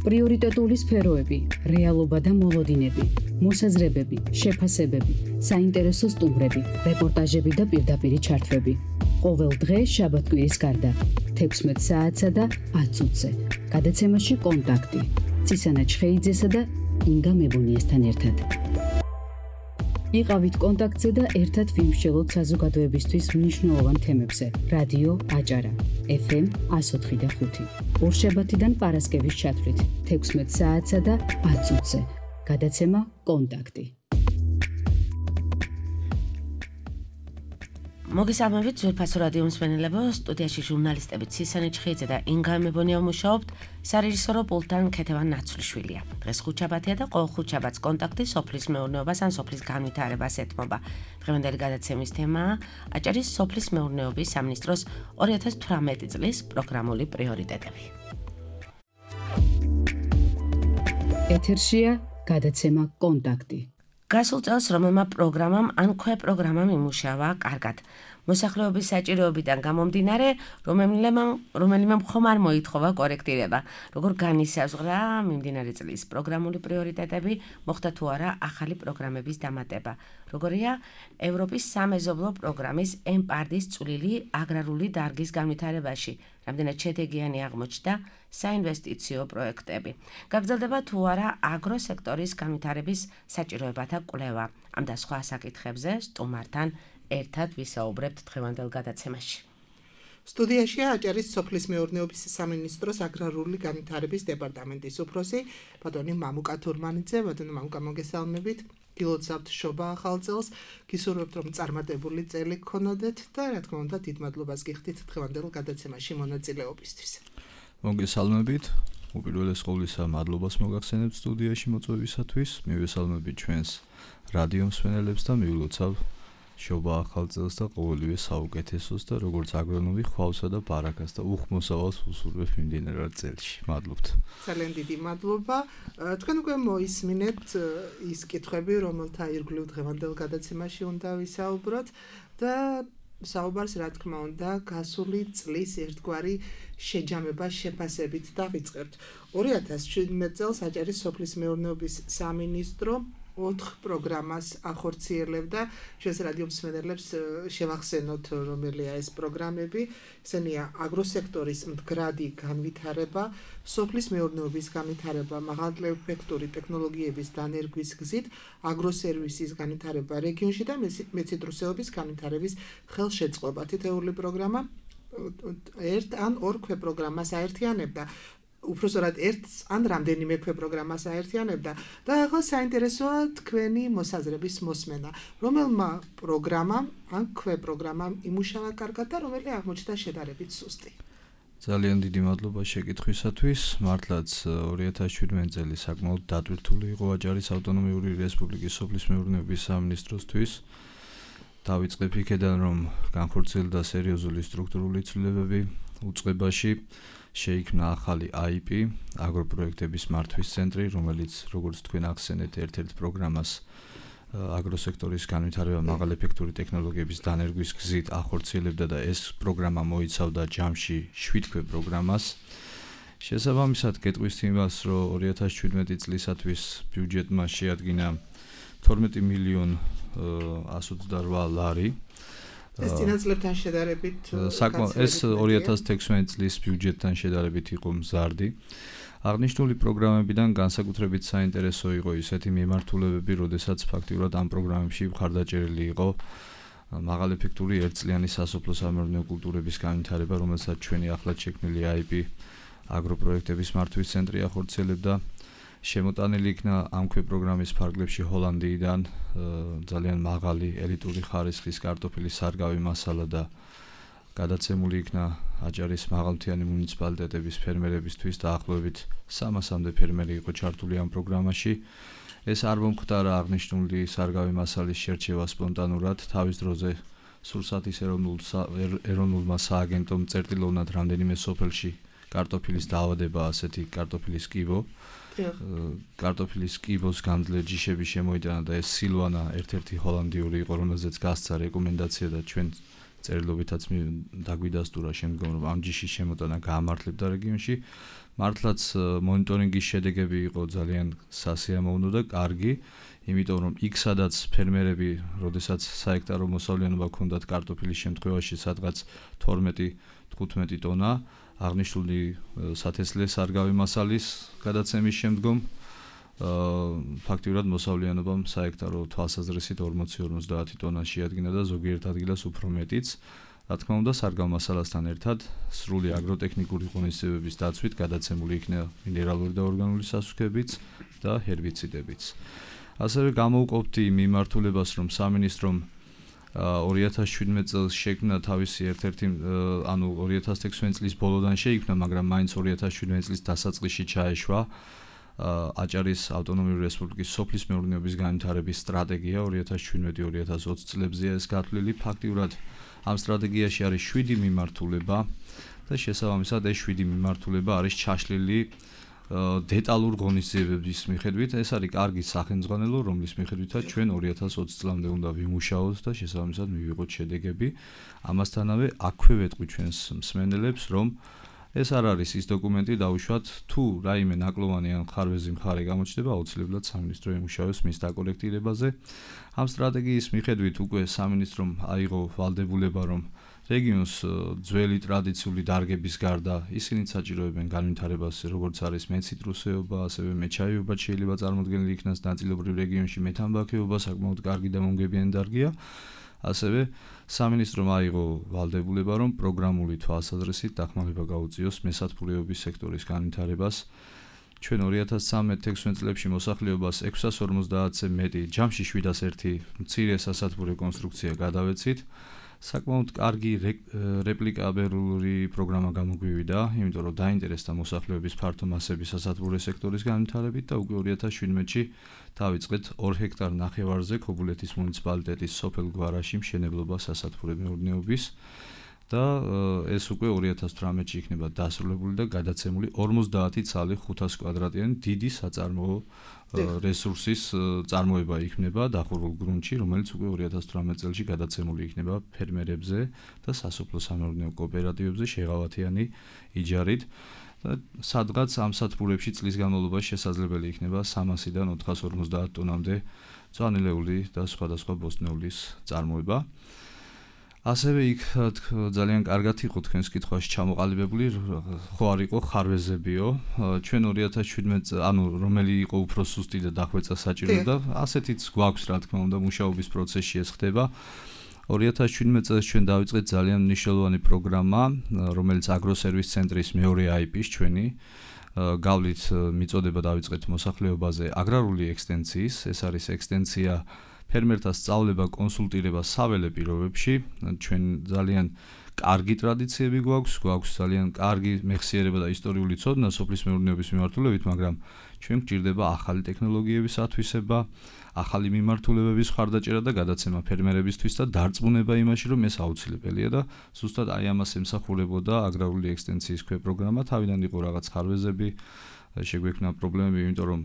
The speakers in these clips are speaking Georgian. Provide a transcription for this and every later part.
პრიორიტეტული სფეროები, რეალობა და მოლოდინები, მოსაზრებები, შეფასებები, საინტერესო სტუმრები, რეპორტაჟები და პირდაპირი ჩართვები. ყოველ დღე შაბათ-კვირის გარდა 16 საათსა და 10 წუთზე. გადაცემაში კონტაქტი. წისანა ჩხეიძესა და ინგა მებონიასთან ერთად. იყავით კონტაქტზე და ერთად ვიმსჯელოთ საზოგადოებისთვის მნიშვნელოვან თემებზე. რადიო აჭარა, FM 104.5. ორშაბათიდან პარასკევის ჩათვლით 16 საათსა და 10 წუთზე. გადაცემა კონტაქტი. მოგესალმებით ძვირფასო რადიო მსმენელებო, სტუდიაში ჟურნალისტები ცისანი ჩხეიძე და ინგა მებონია მუშაობთ, სარეჟისორო პულტთან ქეთევან ნაცვლიშვილია. დღეს ხუთშაბათია და ყოველ ხუთშაბათს კონტაქტი სოფლის მეურნეობას ან სოფლის განვითარებას ეთმობა. დღევანდელი გადაცემის თემაა აჭარის სოფლის მეურნეობის სამინისტროს 2018 წლის პროგრამული პრიორიტეტები. ეთერშია გადაცემა კონტაქტი. გასულ წელს რომელმა პროგრამამ ან ქვეპროგრამამ იმუშავა კარგად. მოსახლეობის საჭიროებიდან გამომდინარე, რომელიმე მხომ არ მოითხოვა კორექტირება. როგორ განისაზღვრა მიმდინარე წლის პროგრამული პრიორიტეტები, მოხდა თუ არა ახალი პროგრამების დამატება. როგორია ევროპის სამეზობლო პროგრამის EMPARD-ის წვლილი აგრარული დარგის განვითარებაში, რამდენად შედეგიანი აღმოჩნდა საინვესტიციო პროექტები. გაგრძელდება თუ არა აგროსექტორის განვითარების საჭიროებათა კვლევა. ამ და სხვა საკითხებზე სტუმართან ერთად ვისაუბრებთ დღევანდელ გადაცემაში. სტუდიაშია აჭარის სოფლის მეურნეობის სამინისტროს აგრარული განვითარების დეპარტამენტის უფროსი ბატონი მამუკა თურმანიძე. ბატონი მამუკა, მოგესალმებით. გილოცავთ შობა ახალ წელს, გისურვებთ რომ წარმატებული წელი გქონოდეთ და რა თქმა უნდა დიდ მადლობას გიხდით დღევანდელ გადაცემაში მონაწილეობისთვის. მოგესალმებით. უპირველეს ყოვლისა მადლობას მოგახსენებთ სტუდიაში მოწვევისათვის. მივესალმებით ჩვენს რადიო მსმენელებს და მივილოცავ შობა ახალ წელს და ყოველივე საუკეთესოს და როგორც აგრონომი ხვალსა და ბარაკას და უხმოსავალს უსურვებ მიმდინარე წელში. მადლობთ. ძალიან დიდი მადლობა. თქვენ უკვე მოისმინეთ ის კითხვები, რომელთა ირგვლივ დღევანდელ გადაცემაში უნდა ვისაუბროთ და საუბარს რა თქმა უნდა გასული წლის ერთგვარი შეჯამება შეფასებით დავიწყებთ. 2017 წელს აჭარის სოფლის მეურნეობის სამინისტრო 4 პროგრამას ახორციელებდა. ჩვენს რადიო მსმენელებს შევახსენოთ რომელია ეს პროგრამები. ესენია აგროსექტორის მდგრადი განვითარება, სოფლის მეურნეობის განვითარება მაღალეფექტური ტექნოლოგიების დანერგვის გზით, აგროსერვისის განვითარება რეგიონში და მეციტრუსეობის განვითარების ხელშეწყობა. თითეული პროგრამა ერთ ან ორ ქვეპროგრამას აერთიანებდა. უпроსორად ერთ ან რამდენიმე ქვეპროგრამას აერთიანებდა და ახლა საინტერესოა თქვენი მოსაზრების მოსმენა. რომელმა პროგრამამ ან ქვეპროგრამამ იმუშავა კარგად და რომელი აღმოჩნდა შედარებით სუსტი? ძალიან დიდი მადლობა შეკითხვისათვის. მართლაც 2017 წელი საკმაოდ დატვირთული იყო აჭარის ავტონომიური რესპუბლიკის სოფლის მეურნეობის სამინისტროსთვის. დავიწყებ იქედან, რომ განხორციელდა სერიოზული სტრუქტურული ცვლილებები უწყებაში. შეიქმნა ახალი IP, აგროპროექტების მართვის ცენტრი, რომელიც როგორც თქვენ ახსენეთ, ერთ-ერთ პროგრამას აგროსექტორის განვითარება მაღალეფექტური ტექნოლოგიების დანერგვის გზით ახორციელებდა და ეს პროგრამა მოიცავდა ჯამში 7 ქვეპროგრამას. შესაბამისად, გეტყვის იმას, რომ 2017 წლისათვის ბიუჯეტმა შეადგინა 12 მილიონ 128 ლარი. ეს წინაწლებთან შედარებით ეს 2016 წლის ბიუჯეტთან შედარებით იყო მზარდი. აღნიშნული პროგრამებიდან განსაკუთრებით საინტერესო იყო ისეთი მიმართულებები, როდესაც ფაქტიურად ამ პროგრამებში მხარდაჭერილი იყო მაღალეფექტური ერთწლიანი სასოფლო სამეურნეო კულტურების განვითარება, რომელსაც ჩვენი ახლად შექმნილი IP აგროპროექტების მართვის ცენტრი ახორციელებდა. შემოტანილი იქნა ამ ქვეპროგრამის ფარგლებში ჰოლანდიიდან ძალიან მაღალი ელიტური ხარისხის კარტოფილის სარგავი მასალა და გადაცემული იქნა აჭარის მაღალმთიანი მუნიციპალიტეტების ფერმერებისთვის დაახლოებით 300-მდე ფერმერი იყო ჩართული ამ პროგრამაში. ეს არ მომხდარა აღნიშნული სარგავი მასალის შერჩევა სპონტანურად, თავის დროზე სურსათის ეროვნულმა სააგენტომ წერტილოვნად რამდენიმე სოფელში კარტოფილის დაავადება, ასეთი კარტოფილის კიბო. კარტოფილის კიბოს გამძლე ჯიშები შემოიტანა და ეს სილვანა ერთ-ერთი ჰოლანდიური იყო, რომელზეც გასცა რეკომენდაცია და ჩვენ წერილობითაც დაგვიდასტურა შემდგომ რომ ამ ჯიშის შემოტანა გაამართლებდა რეგიონში. მართლაც მონიტორინგის შედეგები იყო ძალიან სასიამოვნო და კარგი, იმიტომ რომ იქ სადაც ფერმერები, როდესაც საექტარო მოსავლიანობა ჰქონდათ კარტოფილის შემთხვევაში სადღაც 12-15 ტონა, აღნიშნული სათესლე სარგავი მასალის გადაცემის შემდგომ ფაქტიურად მოსავლიანობამ საექტარო თვალსაზრისით 40-50 ტონა შეადგინა და ზოგიერთ ადგილას უფრო მეტიც. Რა თქმა უნდა, სარგავ მასალასთან ერთად სრული აგროტექნიკური ღონისძიებების დაცვით გადაცემული იქნა მინერალური და ორგანული სასუქებიც და ჰერბიციდებიც. ასევე გამოვყოფთ იმ მიმართულებას, რომ სამინისტრომ 2017 წელს შექმნა თავისი ერთ-ერთი, ანუ 2016 წლის ბოლოდან შეიქმნა, მაგრამ მაინც 2017 წლის დასაწყისში ჩაეშვა აჭარის ავტონომიური რესპუბლიკის სოფლის მეურნეობის განვითარების სტრატეგია 2017-2020 წლებზეა ეს გათვლილი. ფაქტიურად ამ სტრატეგიაში არის 7 მიმართულება და შესაბამისად ეს 7 მიმართულება არის ჩაშლილი დეტალურ ღონისძიებების მიხედვით. ეს არის კარგი სახელმძღვანელო, რომლის მიხედვითაც ჩვენ 2020 წლამდე უნდა ვიმუშაოთ და შესაბამისად მივიღოთ შედეგები. ამასთანავე აქვე ვეტყვი ჩვენს მსმენელებს, რომ ეს არ არის ის დოკუმენტი დავუშვათ, თუ რაიმე ნაკლოვანი ან ხარვეზი მხარე გამოჩნდება, აუცილებლად სამინისტრო იმუშავებს მის დაკოლექტირებაზე. ამ სტრატეგიის მიხედვით უკვე სამინისტრომ აიღო ვალდებულება, რომ რეგიონს ძველი ტრადიციული დარგების გარდა ისინი საჭიროებენ განვითარებას, როგორც არის მეციტრუსეობა, ასევე მეჩაიეობა შეიძლება წარმოქმნილი იქნას ნაწილობრივ რეგიონში მეთამბაქოეობა საკმაოდ კარგი და მომგებიანი დარგია. ასევე სამინისტრომ აიღო ვალდებულება, რომ პროგრამული თვალსაზრისით დახმარება გაუწიოს მესათბურეობის სექტორის განვითარებას. ჩვენ 2013-16 წლებში მოსახლეობას 650-ზე მეტი, ჯამში 701 მცირე სასათბურე კონსტრუქცია გადავეცით. საკმაოდ კარგი რეპლიკაბელური პროგრამა გამოგვივიდა, იმიტომ რომ დაინტერესდა მოსახლეობის ფართო მასების სასათბურე სექტორის განვითარებით და უკვე 2017-ში დავიწყეთ 2 ჰექტარ ნახევარზე ქობულეთის მუნიციპალიტეტის სოფელ გვარაში მშენებლობა სასათბურე მეურნეობის და ეს უკვე 2018-ში იქნება დასრულებული და გადაცემული 50 ცალი 500 კვადრატიანი დიდი საწარმოო რესურსის წარმოება იქნება დახურულ გრუნტში, რომელიც უკვე 2018 წელში გადაცემული იქნება ფერმერებზე და სასოფლო სამეურნეო კოოპერატივებზე შეღავათიანი იჯარით. სადღაც ამ სათბურებში წლის განმავლობაში შესაძლებელი იქნება 300-დან 450 ტონამდე მწვანილეული და სხვადასხვა ბოსტნეულის წარმოება. ასევე იქ ძალიან კარგად იყო თქვენს კითხვაში ჩამოყალიბებული, ხო არ იყო ხარვეზებიო. ჩვენ 2017, ანუ რომელი იყო უფრო სუსტი და დახვეწა საჭიროებდა, ასეთიც გვაქვს, რა თქმა უნდა, მუშაობის პროცესში ეს ხდება. 2017 წელს ჩვენ დავიწყეთ ძალიან მნიშვნელოვანი პროგრამა, რომელიც აგროსერვის ცენტრის მეორე IP-ს ჩვენი გავლით მიწოდება დავიწყეთ მოსახლეობაზე აგრარული ექსტენციის. ეს არის ექსტენცია ფერმერთა სწავლება, კონსულტირება საველე პირობებში. ჩვენ ძალიან კარგი ტრადიციები გვაქვს ძალიან კარგი მეხსიერება და ისტორიული ცოდნა სოფლის მეურნეობის მიმართულებით, მაგრამ ჩვენ გვჭირდება ახალი ტექნოლოგიების ათვისება, ახალი მიმართულებების ხარდაჭერა და გადაცემა ფერმერებისთვის და დარწმუნება იმაში, რომ ეს აუცილებელია და ზუსტად აი ამას ემსახურებოდა აგრარული ექსტენციის პროგრამა. თავიდან იყო რაღაც ხარვეზები, შეგვექმნა პრობლემები, იმიტომ რომ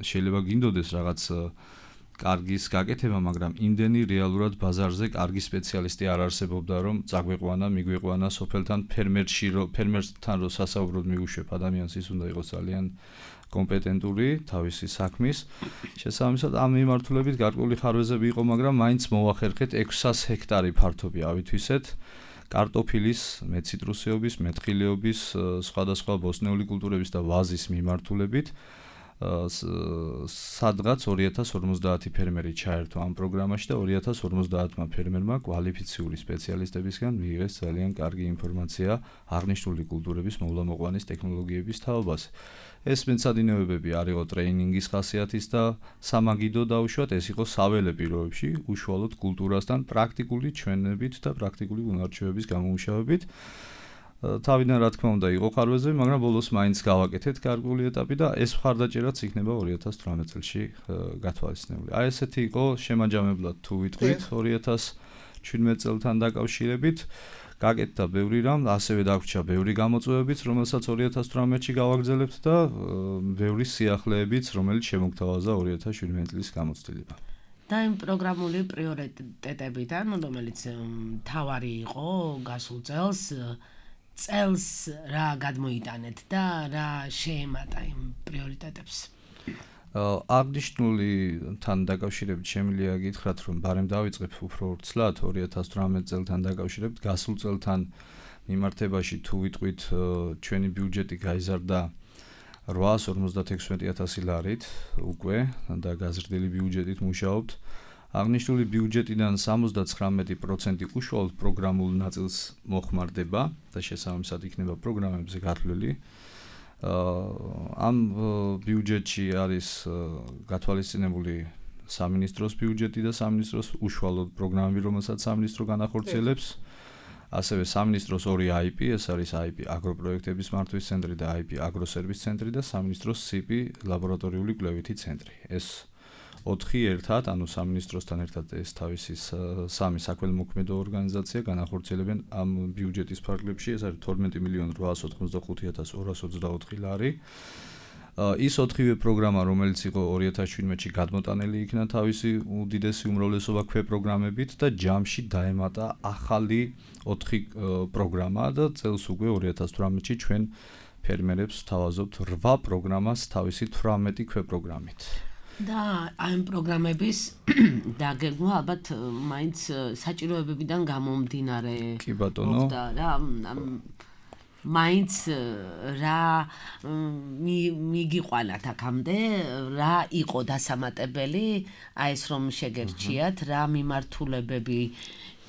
შეიძლება გინდოდეს რაღაც კარგის გაკეთება, მაგრამ იმდენი რეალურად ბაზარზე კარგი სპეციალისტი არ არსებობდა, რომ წაგვეყვანა, მიგვეყვანა სოფელთან ფერმერსთან რო სასაუბროდ მიუშვებ ადამიანს, ის უნდა იყოს ძალიან კომპეტენტური თავისი საქმის. შესაბამისად ამ მიმართულებით გარკვეული ხარვეზები იყო, მაგრამ მაინც მოვახერხეთ 600 ჰექტარი ფართობი ავითვისეთ. კარტოფილის, მეციტრუსეობის, მეთხილეობის, სხვადასხვა ბოსტნეული კულტურების და ვაზის მიმართულებით. სადღაც 2050 ფერმერი ჩაერთო ამ პროგრამაში და 2050-მა ფერმერმა კვალიფიციური სპეციალისტებისგან მიიღეს ძალიან კარგი ინფორმაცია აღნიშნული კულტურების მოვლა-მოყვანის ტექნოლოგიების თაობაზე. ეს მეცადინეობები არ იყო ტრეინინგის ხასიათის და სამაგიდო დაუშვათ, ეს იყო საველე პირობებში, უშუალოდ კულტურასთან პრაქტიკული ჩვენებით და პრაქტიკული უნარჩვევების გამომუშავებით. თავიდან რა თქმა უნდა იყო ხარვეზები, მაგრამ ბოლოს მაინც გავაკეთეთ გარკვეული ეტაპი და ეს მხარდაჭერაც იქნება 2018 წელში გათვალისწინებული. აი ესეთი იყო შემაჯამებლად თუ ვიტყვით 2017 წელთან დაკავშირებით. გაკეთდა ბევრი რამ, ასევე დაგვრჩა ბევრი გამოწვევებიც, რომელსაც 2018-ში გავაგრძელებთ და ბევრი სიახლეებიც, რომელიც შემოგთავაზა 2017 წლის გამოცდილება. და იმ პროგრამული პრიორიტეტებიდან, რომელიც მთავარი იყო გასულ წელს რა გადმოიტანეთ და რა შეემატა იმ პრიორიტეტებს. აღნიშნული თან დაკავშირებით შემიძლია გითხრათ, რომ ბარემ დავიწყებ უფრო ვრცლად 2018 წელთან დაკავშირებით, გასულ წელთან მიმართებაში თუ ვიტყვით ჩვენი ბიუჯეტი გაიზარდა 856,000 ლარით უკვე და გაზრდილი ბიუჯეტით მუშაობთ. აღნიშნული ბიუჯეტიდან 79% უშუალოდ პროგრამულ ნაწილს მოხმარდება და შესაბამისად იქნება პროგრამებზე გათვლილი. ამ ბიუჯეტში არის გათვალისწინებული სამინისტროს ბიუჯეტი და სამინისტროს უშუალოდ პროგრამები, რომელსაც სამინისტრო განახორციელებს. ასევე სამინისტროს ორი IP, ეს არის IP აგროპროექტების მართვის ცენტრი და IP აგროსერვის ცენტრი და სამინისტროს CP ლაბორატორიული კვლევითი ცენტრი. ეს 4 ერთად, ანუ სამინისტროსთან ერთად ეს თავისი სამი საქველმოქმედო ორგანიზაცია განახორციელებენ ამ ბიუჯეტის ფარგლებში, ეს არის 12,885,224 ლარი. ის 4-ვე პროგრამა, რომელიც იყო 2017-ში გადმოტანილი იქნა თავისი უდიდესი უმრავლესობა ქვეპროგრამებით და ჯამში დაემატა ახალი 4 პროგრამა და წელს უკვე 2018-ში ჩვენ ფერმერებს ვთავაზობთ 8 პროგრამას თავისი 18 ქვეპროგრამით. და ამ პროგრამების დაგეგმვა ალბათ მაინც საჭიროებებიდან გამომდინარე. კი ბატონო. და რა მაინც რა მიგიყვანათ აქამდე, რა იყო დასამატებელი, აი ეს რომ შეგერჩიათ, რა მიმართულებები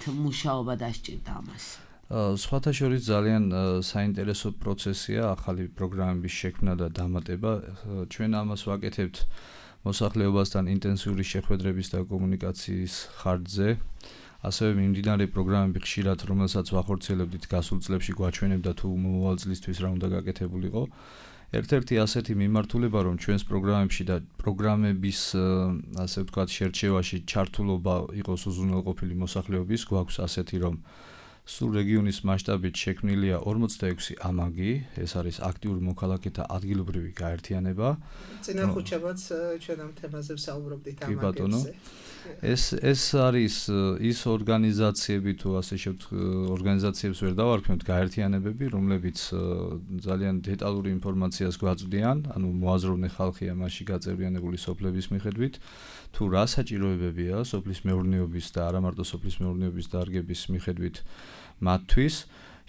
მუშაობა დასჭირდა ამას. სხვათა შორის ძალიან საინტერესო პროცესია ახალი პროგრამების შექმნა და დამატება. ჩვენ ამას ვაკეთებთ მოსახლეობასთან ინტენსიური შეხვედრების და კომუნიკაციის ხარჯზე. ასევე მიმდინარე პროგრამები ხშირად, რომელსაც ვახორციელებდით გასულ წლებში, გვაჩვენებდა თუ მომავალ წლისთვის რა უნდა გაკეთებულიყო. ერთ-ერთი ასეთი მიმართულება, რომ ჩვენს პროგრამებში და პროგრამების ასე ვთქვათ შერჩევაში ჩართულობა იყოს უზრუნველყოფილი მოსახლეობის, გვაქვს ასეთი, რომ სულ რეგიონის მასშტაბით შექმნილია 46 ამაგი, ეს არის აქტიური მოქალაქეთა ადგილობრივი გაერთიანება. წინახუჩებაც ჩვენ ამ თემაზე ვსაუბრობდით ამაგებზე. კი ბატონო. ეს არის ის ორგანიზაციები თუ ასე ორგანიზაციებს ვერ დავარქმევთ გაერთიანებები, რომლებიც ძალიან დეტალური ინფორმაციას გვაწვდიან, ანუ მოაზროვნე ხალხია მასში გაწევრიანებული სოფლების მიხედვით, თუ რა საჭიროებებია სოფლის მეურნეობის და არა მარტო სოფლის მეურნეობის დარგების მიხედვით მათთვის.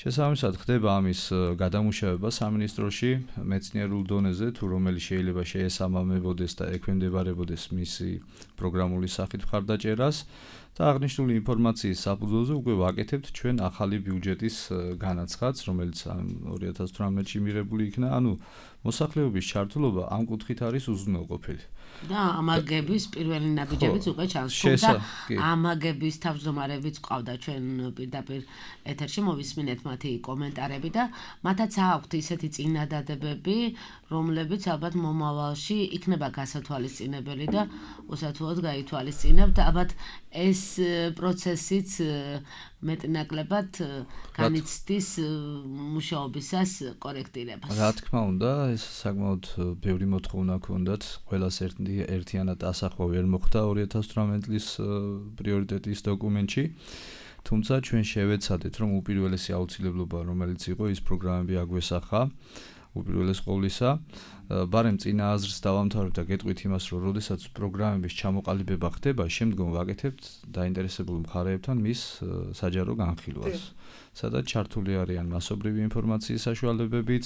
შესაბამისად ხდება ამის გადამუშავება სამინისტროში მეცნიერულ დონეზე, თუ რომელი შეიძლება შეესაბამებოდეს და ექვემდებარებოდეს მისი პროგრამული სახით მხარდაჭერას და აღნიშნული ინფორმაციის საფუძველზე უკვე ვაკეთებთ ჩვენ ახალი ბიუჯეტის განაცხადს, რომელიც 2018-ში მიღებული იქნა, ანუ მოსახლეობის ჩართულობა ამ კუთხით არის უზრუნველყოფილი. და ამაგების პირველი ნაბიჯებიც უკვე ჩანს. ამაგების თავმჯდომარეებიც ყავდა ჩვენ პირდაპირ ეთერში, მოვისმინეთ მათი კომენტარები და მათაც აქვთ ისეთი წინადადებები, რომლებიც ალბათ მომავალში იქნება გასათვალისწინებელი და უსათუოდ გაითვალისწინებთ. ალბათ ეს პროცესიც მეტნაკლებად განიცდის მუშაობისას კორექტირებას. რა თქმა უნდა, ეს საკმაოდ ბევრი მოთხოვნა ჰქონდათ, ყველას ერთიანად ასახვა ვერ მოხდა 2018 წლის პრიორიტეტის დოკუმენტში. თუმცა ჩვენ შევეცადეთ, რომ უპირველესი აუცილებლობა, რომელიც იყო, ის პროგრამები აგვესახა. უპირველეს ყოვლისა, ბარემ წინა აზრს დავამთავრებ და გეტყვით იმას, რომ როდესაც პროგრამების ჩამოყალიბება ხდება, შემდგომ ვაკეთებთ დაინტერესებულ მხარეებთან მის საჯარო განხილვას. სადაც ჩართული არიან მასობრივი ინფორმაციის საშუალებებიც,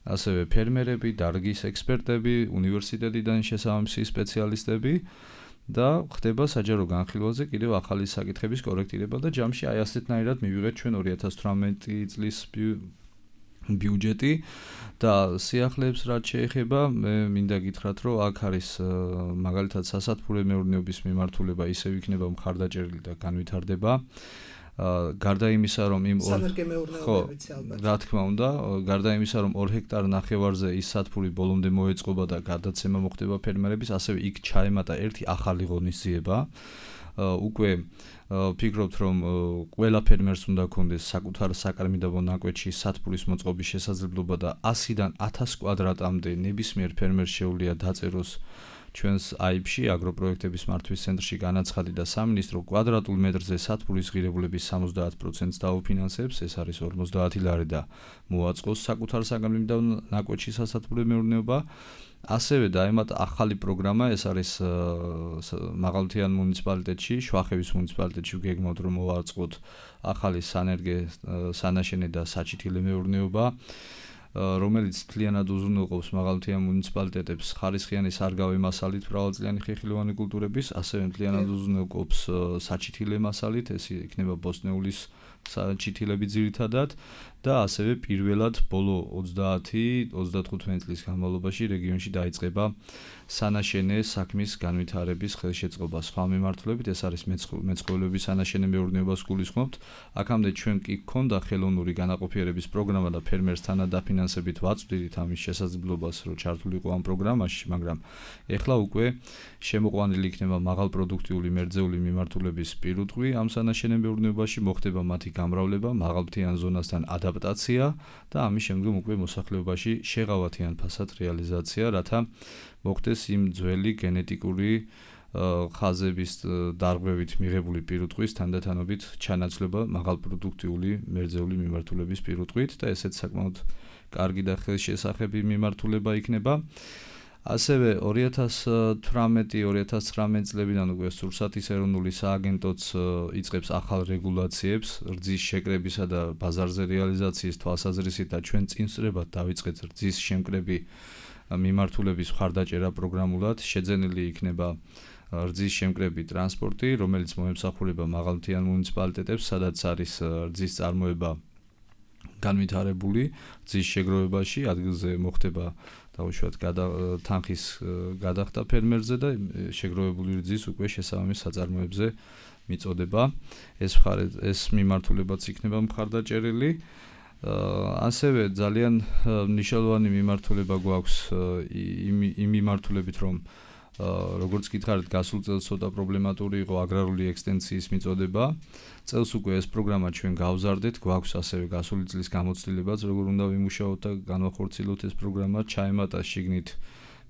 ასევე ფერმერები, დარგის ექსპერტები, უნივერსიტეტიდან შესაბამისი სპეციალისტები და ხდება საჯარო განხილვაზე კიდევ ახალი საკითხების კორექტირება და ჯამში აი ასეთნაირად მივიღეთ ჩვენ 2018 წლის ბიუჯეტი და სიახლეებს რაც შეეხება, მე მინდა გითხრათ, რომ აქ არის მაგალითად სასათბურე მეურნეობის მიმართულება ისევ იქნება მხარდაჭერილი და განვითარდება. გარდა იმისა, რომ იმ რა თქმა უნდა, გარდა იმისა, რომ 2 ჰექტარ ნახევარზე ის სათბური ბოლომდე მოეწყობა და გადაცემა მოხდება ფერმერების, ასევე იქ ჩაემატა ერთი ახალი ღონისძიება. უკვე ვფიქრობთ, რომ ყველა ფერმერს უნდა ქონდეს საკუთარ საკარმიდაბო ნაკვეთში სათბურის მოწყობის შესაძლებლობა და 100-დან 1000 კვადრატამდე ნებისმიერ ფერმერს შეუძლია დაწეროს ჩვენს AIB-ში აგროპროექტების მართვის ცენტრში განაცხადი და სამინისტრო კვადრატულ მეტრზე სათბურის ღირებულების 70%-ს დაუფინანსებს, ეს არის 50 ლარი და მოაწყოს საკუთარ საგამომდევნო ნაკვეთში სასათბურო მეურნეობა. ასევე დაემატა ახალი პროგრამა, ეს არის მაღალმთიან მუნიციპალიტეტში, შვახევის მუნიციპალიტეტში გეგმავთ რომ მოვაწყოთ ახალი სანაშენე და საჩითილე მეურნეობა, რომელიც მთლიანად უზრუნველყოფს მაღალმთიან მუნიციპალიტეტებს ხარისხიანი სარგავი მასალით მრავალწლიანი ხეხილოვანი კულტურების, ასევე მთლიანად უზრუნველყოფს საჩითილე მასალით, ეს იქნება ბოსტნეულის საჩითილები ძირითადად და ასევე პირველად ბოლო 30-35 წლის განმავლობაში რეგიონში დაიწყება სანაშენე საქმის განვითარების ხელშეწყობა სხვა მიმართულებით, ეს არის მეცხოველეობის სანაშენე მეურნეობას გულისხმობთ. აქამდე ჩვენ კი გქონდა ხელოვნური განაყოფიერების პროგრამა და ფერმერს თანად დაფინანსებით ვაწვდით ამის შესაძლებლობას, რომ ჩართულიყო ამ პროგრამაში, მაგრამ ეხლა უკვე შემოყვანილი იქნება მაღალპროდუქტიული მერძეული მიმართულების პირუტყვი ამ სანაშენე მეურნეობაში, მოხდება მათი გამრავლება, მაღალმთიან ზონასთან ადაპტაცია და ამის შემდგომ უკვე მოსახლეობაში შეღავათიან ფასად რეალიზაცია, რათა მოხდეს იმ ძველი გენეტიკური ხაზების დარღვევით მიღებული პირუტყვის თანდათანობით ჩანაცვლება მაღალპროდუქტიული მერძეული მიმართულების პირუტყვით და ესეც საკმაოდ კარგი და ხელშესახები მიმართულება იქნება. ასევე 2018-2019 წლებიდან უკვე სურსათის ეროვნული სააგენტოც იწყებს ახალ რეგულაციებს რძის შეკრებისა და ბაზარზე რეალიზაციის თვალსაზრისით და ჩვენ წინსწრებად დავიწყეთ რძის შემკრები მიმართულების მხარდაჭერა პროგრამულად, შეძენილი იქნება რძის შემკრები ტრანსპორტი, რომელიც მოემსახურება მაღალმთიან მუნიციპალიტეტებს, სადაც არის რძის წარმოება განვითარებული რძის შეგროვებაში, ადგილზე მოხდება დაუშვათ თანხის გადახდა ფერმერზე და შეგროვებული რძის უკვე შესაბამის საწარმოებზე მიწოდება. ეს მიმართულებაც იქნება მხარდაჭერილი. ასევე ძალიან მნიშვნელოვანი მიმართულება გვაქვს იმ მიმართულებით, რომ როგორც გითხარით, გასულ წელს ცოტა პრობლემატური იყო აგრარული ექსტენსიის მიწოდება. წელს უკვე ეს პროგრამა ჩვენ გავზარდეთ, გვაქვს ასევე გასული წლის გამოცდილებაც, როგორ უნდა ვიმუშაოთ და განვახორციელოთ ეს პროგრამა. ჩაემატა შიგნით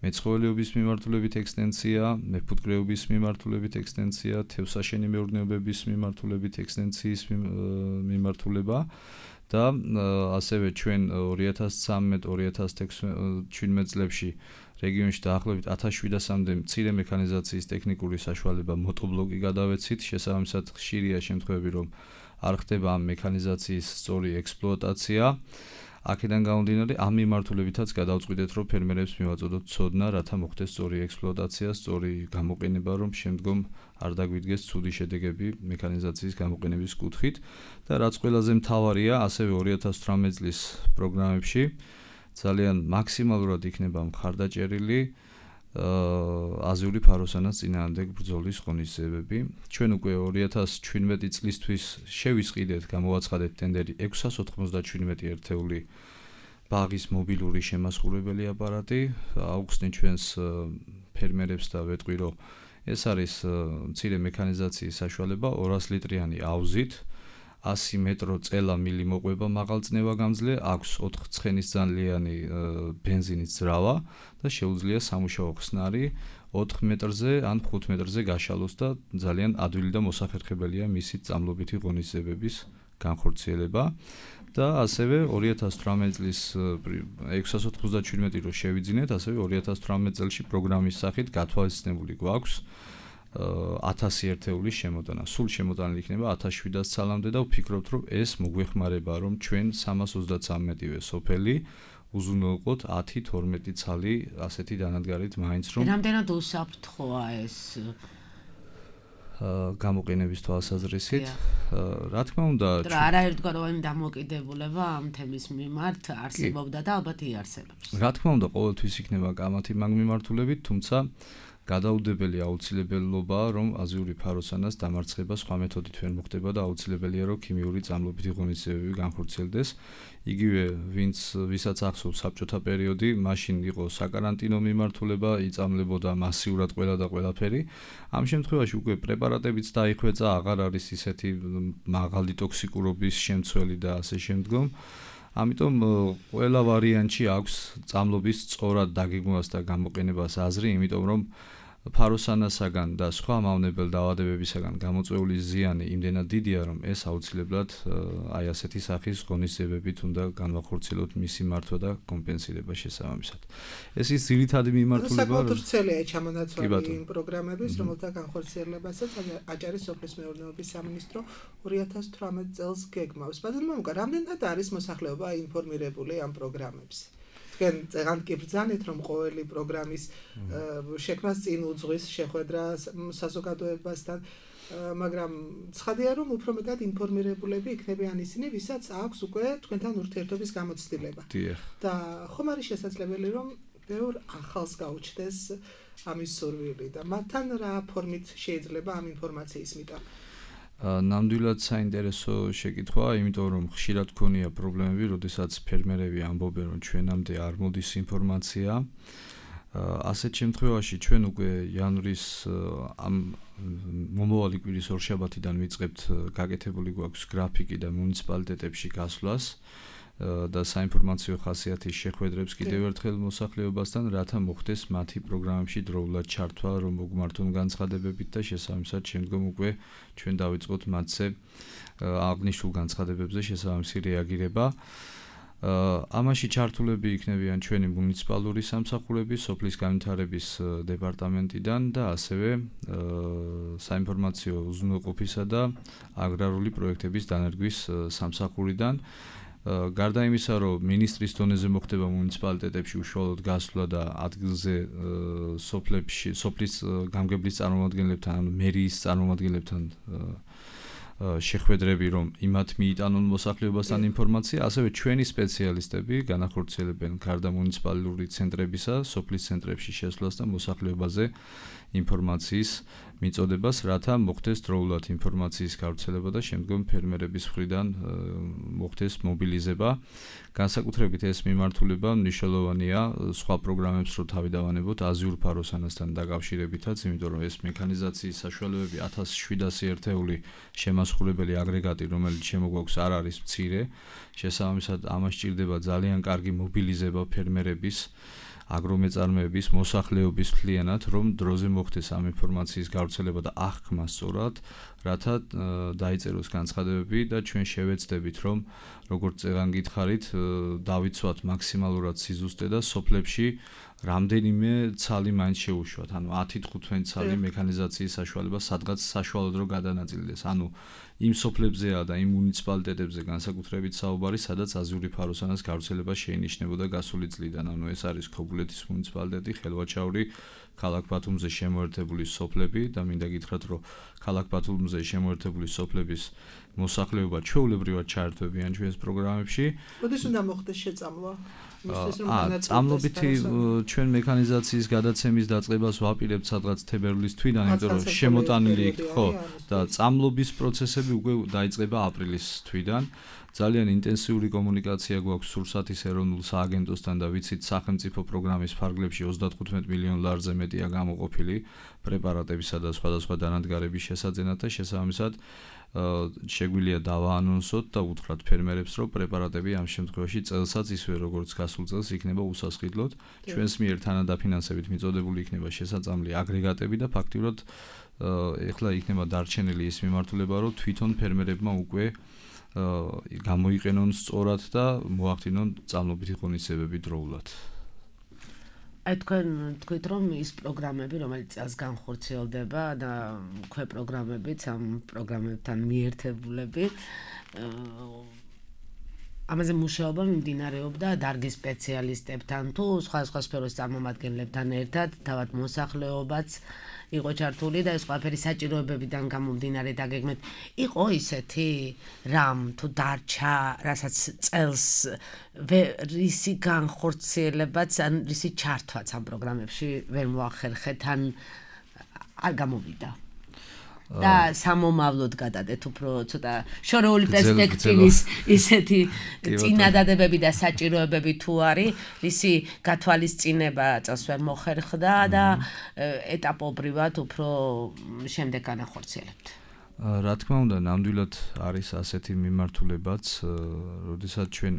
მეცხოველეობის მიმართულებით ექსტენსია, მეფუტკრეობის მიმართულებით ექსტენსია, თევზსაშენი მეურნეობების მიმართულებით ექსტენსიის მიმართულება. და ასევე ჩვენ 2013-2017 წლებში რეგიონში დაახლოებით 1700-მდე მცირე მექანიზაციის ტექნიკური საშუალება მოტობლოკი გადავეცით, შესაბამისად ხშირია შემთხვევები, რომ არ ხდება ამ მექანიზაციის სწორი ექსპლუატაცია. აქედან გამომდინარე, ამ მიმართულებითაც გადავწყვიტეთ, რომ ფერმერებს მივაწოდოთ ცოდნა, რათა მოხდეს სწორი ექსპლუატაცია, სწორი გამოყენება, რომ შემდგომ არ დაგვიდგეს ცუდი შედეგები მექანიზაციის გამოყენების კუთხით. და რაც ყველაზე მთავარია, ასევე 2018 წლის პროგრამებში ძალიან მაქსიმალურად იქნება მხარდაჭერილი აზიური ფაროსანას წინააღმდეგ ბრძოლის ღონისძიებები. ჩვენ უკვე 2017 წლისთვის შევისყიდეთ, გამოვაცხადეთ ტენდერი 697 ერთეული ბაღის მობილური შემასხურებელი აპარატი. აუხსნით ჩვენს ფერმერებს და ვეტყვი, რომ ეს არის მცირე მექანიზაციის საშუალება 200 ლიტრიანი აუზით. 100 მეტრო წელა მილი მოყვება მაღალწნევა გამძლე, აქვს 4 ცხენისძალიანი ბენზინის ძრავა და შეუძლია სამუშაო ხსნარი 4 მეტრზე ან 5 მეტრზე გაშალოს და ძალიან ადვილი და მოსახერხებელია მისი წამლობითი ღონისძიებების განხორციელება. და ასევე 2018 წლის 697 რო შევიძინეთ, ასევე 2018 წელში პროგრამის სახით გათვალისწინებული გვაქვს 1000 ერთეულის შემოტანა. სულ შემოტანილი იქნება 1700 ცალამდე და ვფიქრობთ, რომ ეს მოგვეხმარება, რომ ჩვენ 333-მდე სოფელი უზრუნველყოთ 10-12 ცალი ასეთი დანადგარით მაინც რომ რამდენად უსაფრთხოა ეს გამოყენების თვალსაზრისით. რა თქმა უნდა, არაერთგვაროვანი დამოკიდებულება ამ თემის მიმართ არსებობდა და ალბათ იარსებობს. რა თქმა უნდა, ყოველთვის იქნება კამათი მაგ მიმართულებით, თუმცა გადაუდებელი აუცილებელობაა, რომ აზიური ფაროსანას დამარცხება სხვა მეთოდით ვერ მოხდება და აუცილებელია, რომ ქიმიური წამლობითი ღონისძიებები განხორციელდეს. იგივე ვისაც ახსოვს საბჭოთა პერიოდი, მაშინ იყო საკარანტინო მიმართულება, იწამლებოდა მასიურად ყველა და ყველაფერი. ამ შემთხვევაში უკვე პრეპარატებიც დაიხვეწა, აღარ არის ისეთი მაღალი ტოქსიკურობის შემცველი და ასე შემდგომ. ამიტომ ყველა ვარიანტში აქვს წამლობის სწორად დაგეგმვას და გამოყენებას აზრი, იმიტომ რომ ფაროსანასაგან და სხვა მავნებელ დაავადებებისაგან გამოწვეული ზიანი იმდენად დიდია, რომ ეს აუცილებლად აი ასეთი სახის ღონისძიებებით უნდა განვახორციელოთ მისი მართვა და კომპენსირება შესაბამისად. ეს ის ძირითადი მიმართულება, საკუთარ ვრცელია ჩამონაცვალი იმ პროგრამების, რომელთა განხორციელებასაც აჭარის სოფლის მეურნეობის სამინისტრო 2018 წელს გეგმავს. ბატონო, რამდენად არის მოსახლეობა ინფორმირებული ამ პროგრამებზე? თქვენ წეგანთ კი ბრძანეთ, რომ ყოველი პროგრამის შექმნას წინ უძღვის შეხვედრა საზოგადოებასთან, მაგრამ ცხადია, რომ უფრო მეტად ინფორმირებულები იქნებიან ისინი, ვისაც აქვს უკვე თქვენთან ურთიერთობის გამოცდილება. და ხომ არის შესაძლებელი, რომ ბევრ ახალს გაუჩნდეს ამის სურვილი და მათთან რა ფორმით შეიძლება ამ ინფორმაციის მიტანა? ნამდვილად საინტერესო შეკითხვაა, იმიტომ რომ ხშირად ქონია პრობლემები, როდესაც ფერმერები ამბობენ, რომ ჩვენამდე არ მოდის ინფორმაცია. ასეთ შემთხვევაში ჩვენ უკვე იანვრის ამ მომავალი კვირის ორშაბათიდან ვიწყებთ გაკეთებული გვაქვს გრაფიკი და მუნიციპალიტეტებში გასვლას და საინფორმაციო ხასიათის შეხვედრებს კიდევ ერთხელ მოსახლეობასთან, რათა მოხდეს მათი პროგრამებში დროულად ჩართვა, რომ მოგმართონ განცხადებებით და შესაბამისად შემდგომ უკვე ჩვენ დავიწყოთ მათზე აღნიშნულ განცხადებებზე შესაბამისი რეაგირება. ამაში ჩართულები იქნებიან ჩვენი მუნიციპალური სამსახურები, სოფლის განვითარების დეპარტამენტიდან და ასევე საინფორმაციო უზრუნველყოფისა და აგრარული პროექტების დანერგვის სამსახურიდან. გარდა იმისა, რომ მინისტრის დონეზე მოხდება მუნიციპალიტეტებში უშუალოდ გასვლა და ადგილზე სოფლის გამგებლის წარმომადგენლებთან, ანუ მერიის წარმომადგენლებთან შეხვედრები, რომ იმათ მიიტანონ მოსახლეობასთან ინფორმაცია, ასევე ჩვენი სპეციალისტები განახორციელებენ გარდა მუნიციპალური ცენტრებისა, სოფლის ცენტრებში შესვლას და მოსახლეობაზე ინფორმაციის მიწოდებას, რათა მოხდეს დროულად ინფორმაციის გავრცელება და შემდგომ ფერმერების მხრიდან მოხდეს მობილიზება. განსაკუთრებით ეს მიმართულება მნიშვნელოვანია სხვა პროგრამებს რო თავი დავანებოთ აზიურ ფაროსანასთან დაკავშირებითაც, იმიტომ რომ ეს მექანიზაციის საშუალებები 1700 ერთეული შემასხურებელი აგრეგატი, რომელიც შემოგვაქვს, არ არის მცირე. შესაბამისად, ამას სჭირდება ძალიან კარგი მობილიზება ფერმერების, აგრომეწარმეების, მოსახლეობის მთლიანად, რომ დროზე მოხდეს ამ ინფორმაციის გავრცელება და აღქმა სწორად, რათა დაიწეროს განცხადებები და ჩვენ შევეცდებით, რომ როგორც წეგან გითხარით, დავიცვათ მაქსიმალურად სიზუსტე და სოფლებში რამდენიმე ცალი მაინც შეუშვათ, ანუ 10-15 ცალი მექანიზაციის საშუალება სადღაც საშუალოდ რო გადანაწილდეს, ანუ იმ სოფლებზეა და იმ მუნიციპალიტეტებზე განსაკუთრებით საუბარი, სადაც აზიური ფაროსანას გავრცელება შეინიშნებოდა გასული წლიდან, ანუ ეს არის ქობულეთის მუნიციპალიტეტი, ხელვაჩაური, ქალაქ ბათუმზე შემოერთებული სოფლები და მინდა გითხრათ, რომ ქალაქ ბათუმზე შემოერთებული სოფლების მოსახლეობა ჩვეულებრივად ჩაერთვებიან ჩვენს პროგრამებში. როდის უნდა მოხდეს შეწამლა? წამლობითი ჩვენ მექანიზაციის გადაცემის დაწყებას ვაპირებთ სადღაც თებერვლის თვიდან, იმიტომ რომ შემოტანილი იქ ხო და წამლობის პროცესები უკვე დაიწყება აპრილის თვიდან. ძალიან ინტენსიური კომუნიკაცია გვაქვს სურსათის ეროვნულ სააგენტოსთან და ვიცით სახელმწიფო პროგრამის ფარგლებში 35 მილიონ ლარზე მეტია გამოყოფილი პრეპარატებისა და სხვადასხვა დანადგარების შესაძენად და შესაბამისად შეგვიძლია დავაანონსოთ და უთხრათ ფერმერებს, რომ პრეპარატები ამ შემთხვევაში წელსაც ისევე როგორც გასულ წელს იქნება უსასყიდლოდ. ჩვენს მიერ თანადაფინანსებით მიწოდებული იქნება შესაწამლი აგრეგატები და ფაქტიურად ეხლა იქნება დარჩენილი ის მიმართულება, რომ თვითონ ფერმერებმა უკვე გამოიყენონ სწორად და მოახდინონ წამლობითი ღონისძიებები დროულად. აი თქვენ თქვით, რომ ის პროგრამები, რომელიც წელს განხორციელდება და ქვე პროგრამებიც ამ პროგრამებთან მიერთებულები, ამაზე მუშაობა მიმდინარეობდა დარგის სპეციალისტებთან თუ სხვა სფეროს წარმომადგენლებთან ერთად, თავად მოსახლეობაც იყო ჩართული და ეს ყველაფერი საჭიროებებიდან გამომდინარე დაგეგმეთ. იყო ისეთი რამ თუ დარჩა, რასაც წელს რისი განხორციელებაც, ან რისი ჩართვაც ამ პროგრამებში ვერ მოახერხეთ, ან არ გამოვიდა. და სამომავლოდ გადადეთ უფრო ცოტა შორეული პერსპექტივის ისეთი წინადადებები და საჭიროებები თუ არის, რისი გათვალისწინება წელს ვერ მოხერხდა და ეტაპობრივად უფრო შემდეგ განახორციელებთ. რა თქმა უნდა, ნამდვილად არის ასეთი მიმართულებაც, როდესაც ჩვენ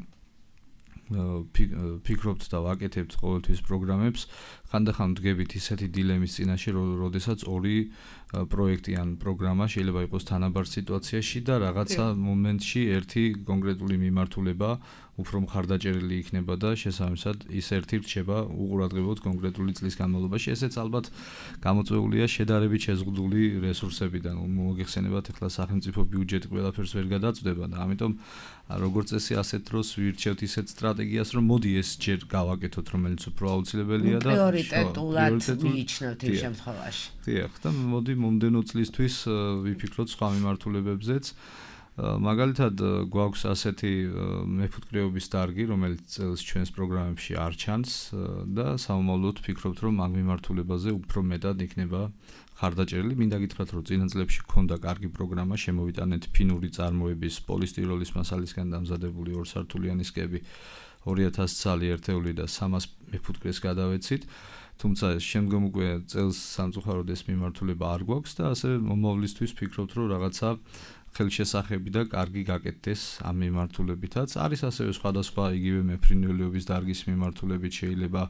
ფიქრობთ და ვაკეთებთ ყოველთვის პროგრამებს, ხანდახან ვდგებით ისეთი დილემის წინაშე, როდესაც ორი პროექტი ან პროგრამა შეიძლება იყოს თანაბარ სიტუაციაში და რაღაცა მომენტში ერთი კონკრეტული მიმართულება უფრო მხარდაჭერილი იქნება და შესაბამისად ის ერთი რჩება უყურადღებოდ კონკრეტული წლის განმავლობაში. ესეც ალბათ გამოწვეულია შედარებით შეზღუდული რესურსებიდან. მოგეხსენებათ, ახლა სახელმწიფო ბიუჯეტი ყველაფერს ვერ გადაწყვეტება და ამიტომ როგორც წესი ასეთ დროს ვირჩევთ ისეთ სტრატეგიას, რომ მოდი ეს ჯერ გავაკეთოთ, რომელიც უფრო აუცილებელია და პრიორიტეტულად მიიჩნევთ იმ შემთხვევაში. დიახ, და მოდი მომდენო წლისთვის ვიფიქროთ სხვა მიმართულებებზეც. მაგალითად გვაქვს ასეთი მეფუტკრეობის დარგი, რომელიც წელს ჩვენს პროგრამებში არ ჩანს და სამომავლოდ ვფიქრობთ, რომ ამ მიმართულებაზე უფრო მეტად იქნება ხარდაჭერილი. მინდა გითხრათ, რომ წინა წლებში ჰქონდა კარგი პროგრამა, შემოვიტანეთ ფინური წარმოების პოლისტიროლის მასალისგან დამზადებული ორსართულიანი სკები 2000 ცალი ერთეული და 300 მეფუტკრეს გადავეცით. თუმცა შემდგომ უკვე წელს სამწუხაროდ ეს მიმართულება არ გვაქვს და ასე მომავლისთვის ვფიქრობთ, რომ რაღაცა ხელშესახები და კარგი გაკეთდეს ამ მიმართულებითაც. არის ასევე სხვადასხვა იგივე მეფრინველეობის დარგის მიმართულებით, შეიძლება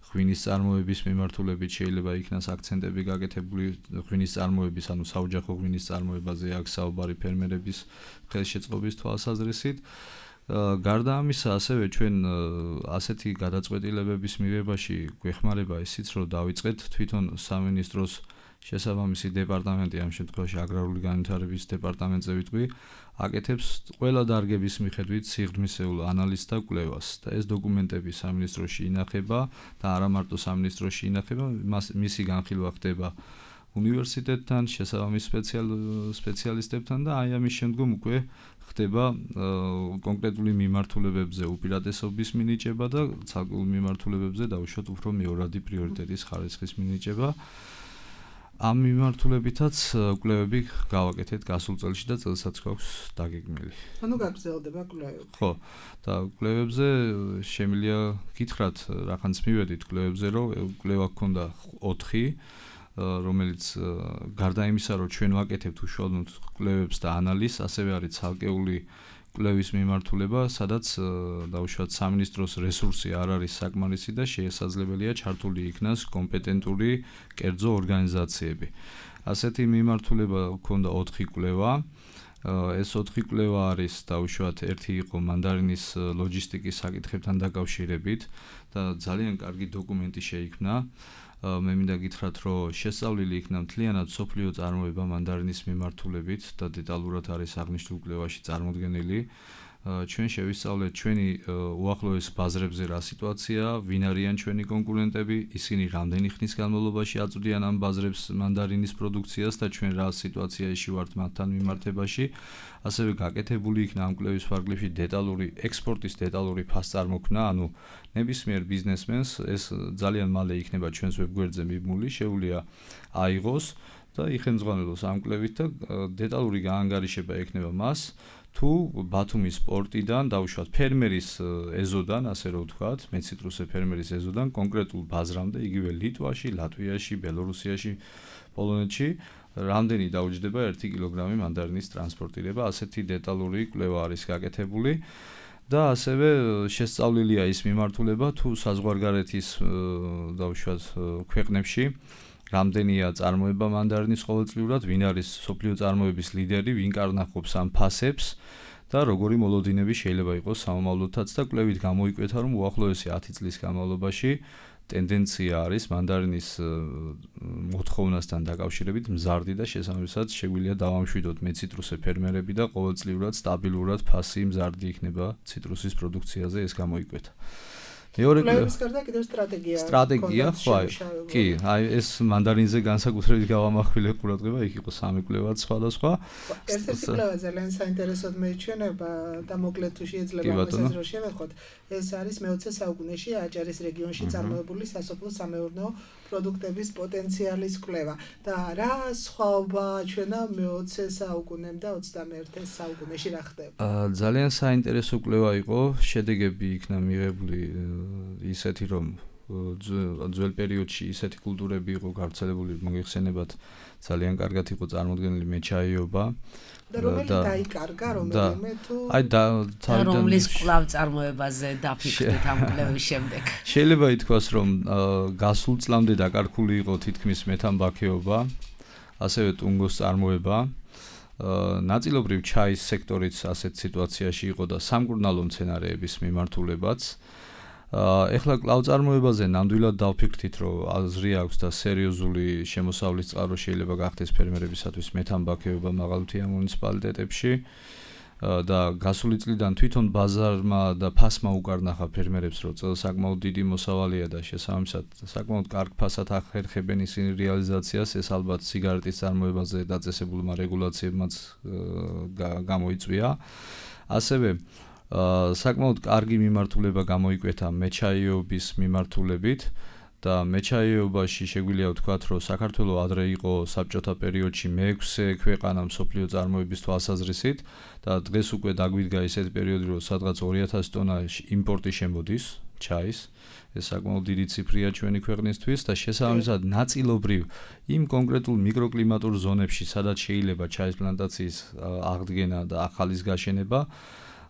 ღვინის წარმოების მიმართულებით, შეიძლება იქნას აქცენტები გაკეთებული ღვინის წარმოების, ანუ საოჯახო ღვინის წარმოებაზე აქ საუბარი ფერმერების ხელშეწყობის თვალსაზრისით. გარდა ამისა, ასევე ჩვენ ასეთი გადაწყვეტილებების მიღებაში გვეხმარება ისიც, რომ დავიწყეთ თვითონ სამინისტროს შესაბამისი დეპარტამენტი, ამ შემთხვევაში აგრარული განვითარების დეპარტამენტზე ვიტყვი, აკეთებს ყველა დარგების მიხედვით სიღრმისეულ ანალიზს და კვლევას და ეს დოკუმენტები სამინისტროში ინახება და არა მარტო სამინისტროში ინახება, მისი განხილვა ხდება უნივერსიტეტთან, შესაბამის სპეციალისტებთან და აი ამის შემდგომ უკვე ხდება კონკრეტული მიმართულებებზე უპირატესობის მინიჭება და ცალკეულ მიმართულებებზე დაუშვათ უფრო მეორადი პრიორიტეტის ხარისხის მინიჭება. ამ მიმართულებითაც კვლევები გავაკეთეთ გასულ წელში და წელსაც გვაქვს დაგეგმილი. ანუ გაგრძელდება კვლევები. ხო, და კვლევებზე შემიძლია გითხრათ, რახანს მივედით კვლევებზე, რომ კვლევა გქონდა 4, რომელიც გარდა იმისა, რომ ჩვენ ვაკეთებთ უშუალოდ კვლევებს და ანალიზს, ასევე არის ცალკეული კვლევის მიმართულება, სადაც დაუშვათ სამინისტროს რესურსი არ არის საკმარისი და შესაძლებელია ჩართული იქნას კომპეტენტური კერძო ორგანიზაციები. ასეთი მიმართულება გქონდა 4 კვლევა. ეს 4 კვლევა არის დაუშვათ ერთი იყო მანდარინის ლოჯისტიკის საკითხებთან დაკავშირებით და ძალიან კარგი დოკუმენტი შეიქმნა. მე მინდა გითხრათ, რომ შესწავლილი იქნა მთლიანად სოფლიო წარმოება მანდარინის მიმართულებით და დეტალურად არის აღნიშნულ კვლევაში წარმოდგენილი. ჩვენ შევისწავლეთ ჩვენი უახლოეს ბაზრებზე რა სიტუაციაა, ვინ არიან ჩვენი კონკურენტები, ისინი რამდენი ხნის განმავლობაში აწვდიან ამ ბაზრებს მანდარინის პროდუქციას და ჩვენ რა სიტუაციაში ვართ მათთან მიმართებაში. ასევე გაკეთებული იქნა ამ კვლევის ფარგლებში დეტალური ექსპორტის დეტალური ფასწარმოქმნა, ანუ ნებისმიერ ბიზნესმენს ეს ძალიან მალე იქნება ჩვენს ვებგვერდზე მიბმული, შეუძლია აიღოს და იხელმძღვანელოს ამ კვლევით და დეტალური გაანგარიშება ექნება მას თუ ბათუმის პორტიდან დაუშვათ ფერმერის ეზოდან, ასე რომ ვთქვათ, მეციტრუსე ფერმერის ეზოდან კონკრეტულ ბაზრამდე, იგივე ლიტვაში, ლატვიაში, ბელორუსიაში, პოლონეთში რამდენი დაუჯდება 1 კილოგრამი მანდარინის ტრანსპორტირება, ასეთი დეტალური კვლევა არის გაკეთებული და ასევე შესწავლილია ის მიმართულება თუ საზღვარგარეთის დაუშვათ ქვეყნებში რამდენია წარმოება მანდარინის ყოველწლიურად, ვინ არის სოფლიო წარმოების ლიდერი, ვინ კარნახობს ამ ფასებს და როგორი მოლოდინები შეიძლება იყოს სამომავლოდაც და კვლევით გამოიკვეთა, რომ უახლოესი 10 წლის განმავლობაში ტენდენცია არის მანდარინის მოთხოვნასთან დაკავშირებით მზარდი და შესაბამისად შეგვიძლია დავამშვიდოთ მეციტრუსე ფერმერები და ყოველწლიურად სტაბილურად ფასი მზარდი იქნება ციტრუსის პროდუქციაზე, ეს გამოიკვეთა. მეორე კვლევის გარდა კიდევ სტრატეგია, ხო, კი, აი ეს მანდარინზე განსაკუთრებით გავამახვილე ყურადღება, იქ იყო 3 კვლევაც სხვადასხვა. ერთ-ერთი კვლევა ძალიან საინტერესოდ მეჩვენება და მოკლედ თუ შეიძლება ამასაც რომ შევეხოთ, ეს არის მე-20 საუკუნეში აჭარის რეგიონში წარმოებული სასოფლო-სამეურნეო პროდუქტების პოტენციალის კვლევა და რა სხვაობა ჩვენა მე-20 საუკუნემ და 21 საუკუნეში რა ხდება? ძალიან საინტერესო კვლევა იყო, შედეგები იქნა მიღებული ისეთი, რომ ძველ პერიოდში ისეთი კულტურები იყო გავრცელებული, მოგეხსენებათ, ძალიან კარგად იყო წარმოდგენილი მეჩაიეობა და რომელი დაიკარგა, რომელიმე თუ და რომლის კვლავ წარმოებაზე დაფიქრდით ამ კვლევის შემდეგ. შეიძლება ითქვას, რომ გასულ წლამდე დაკარგული იყო თითქმის მეთამბაქოეობა, ასევე ტუნგოს წარმოება. ნაწილობრივ ჩაის სექტორიც ასეთ სიტუაციაში იყო და სამკურნალო მცენარეების მიმართულებაც. ეხლა კვლავ-წარმოებაზე ნამდვილად დავფიქრდით, რომ აზრი აქვს და სერიოზული შემოსავლის წყარო შეიძლება გახდეს ფერმერებისათვის მეთამბაქოეობა მაღალმთიან მუნიციპალიტეტებში და გასული წლიდან თვითონ ბაზარმა და ფასმა უკარნახა ფერმერებს, რომ საკმაოდ დიდი მოსავალია და შესაბამისად საკმაოდ კარგ ფასად ახერხებენ ისინი რეალიზაციას, ეს ალბათ სიგარეტის წარმოებაზე დაწესებულმა რეგულაციებმაც გამოიწვია. ასევე საკმაოდ კარგი მიმართულება გამოიკვეთა მეჩაიეობის მიმართულებით და მეჩაიეობაში შეგვიძლია ვთქვათ, რომ საქართველოს ადრე იყო საბჭოთა პერიოდში მე-6 ქვეყანა მსოფლიო წარმოების თვალსაზრისით და დღეს უკვე დაგვიდგა ისეთი პერიოდი, რომ სადღაც 2000 ტონა იმპორტი შემოდის ჩაის. ეს საკმაოდ დიდი ციფრია ჩვენი ქვეყნისთვის და შესაბამისად ნაწილობრივ იმ კონკრეტულ მიკროკლიმატურ ზონებში, სადაც შეიძლება ჩაის პლანტაციის აღდგენა და ახალის გაშენება,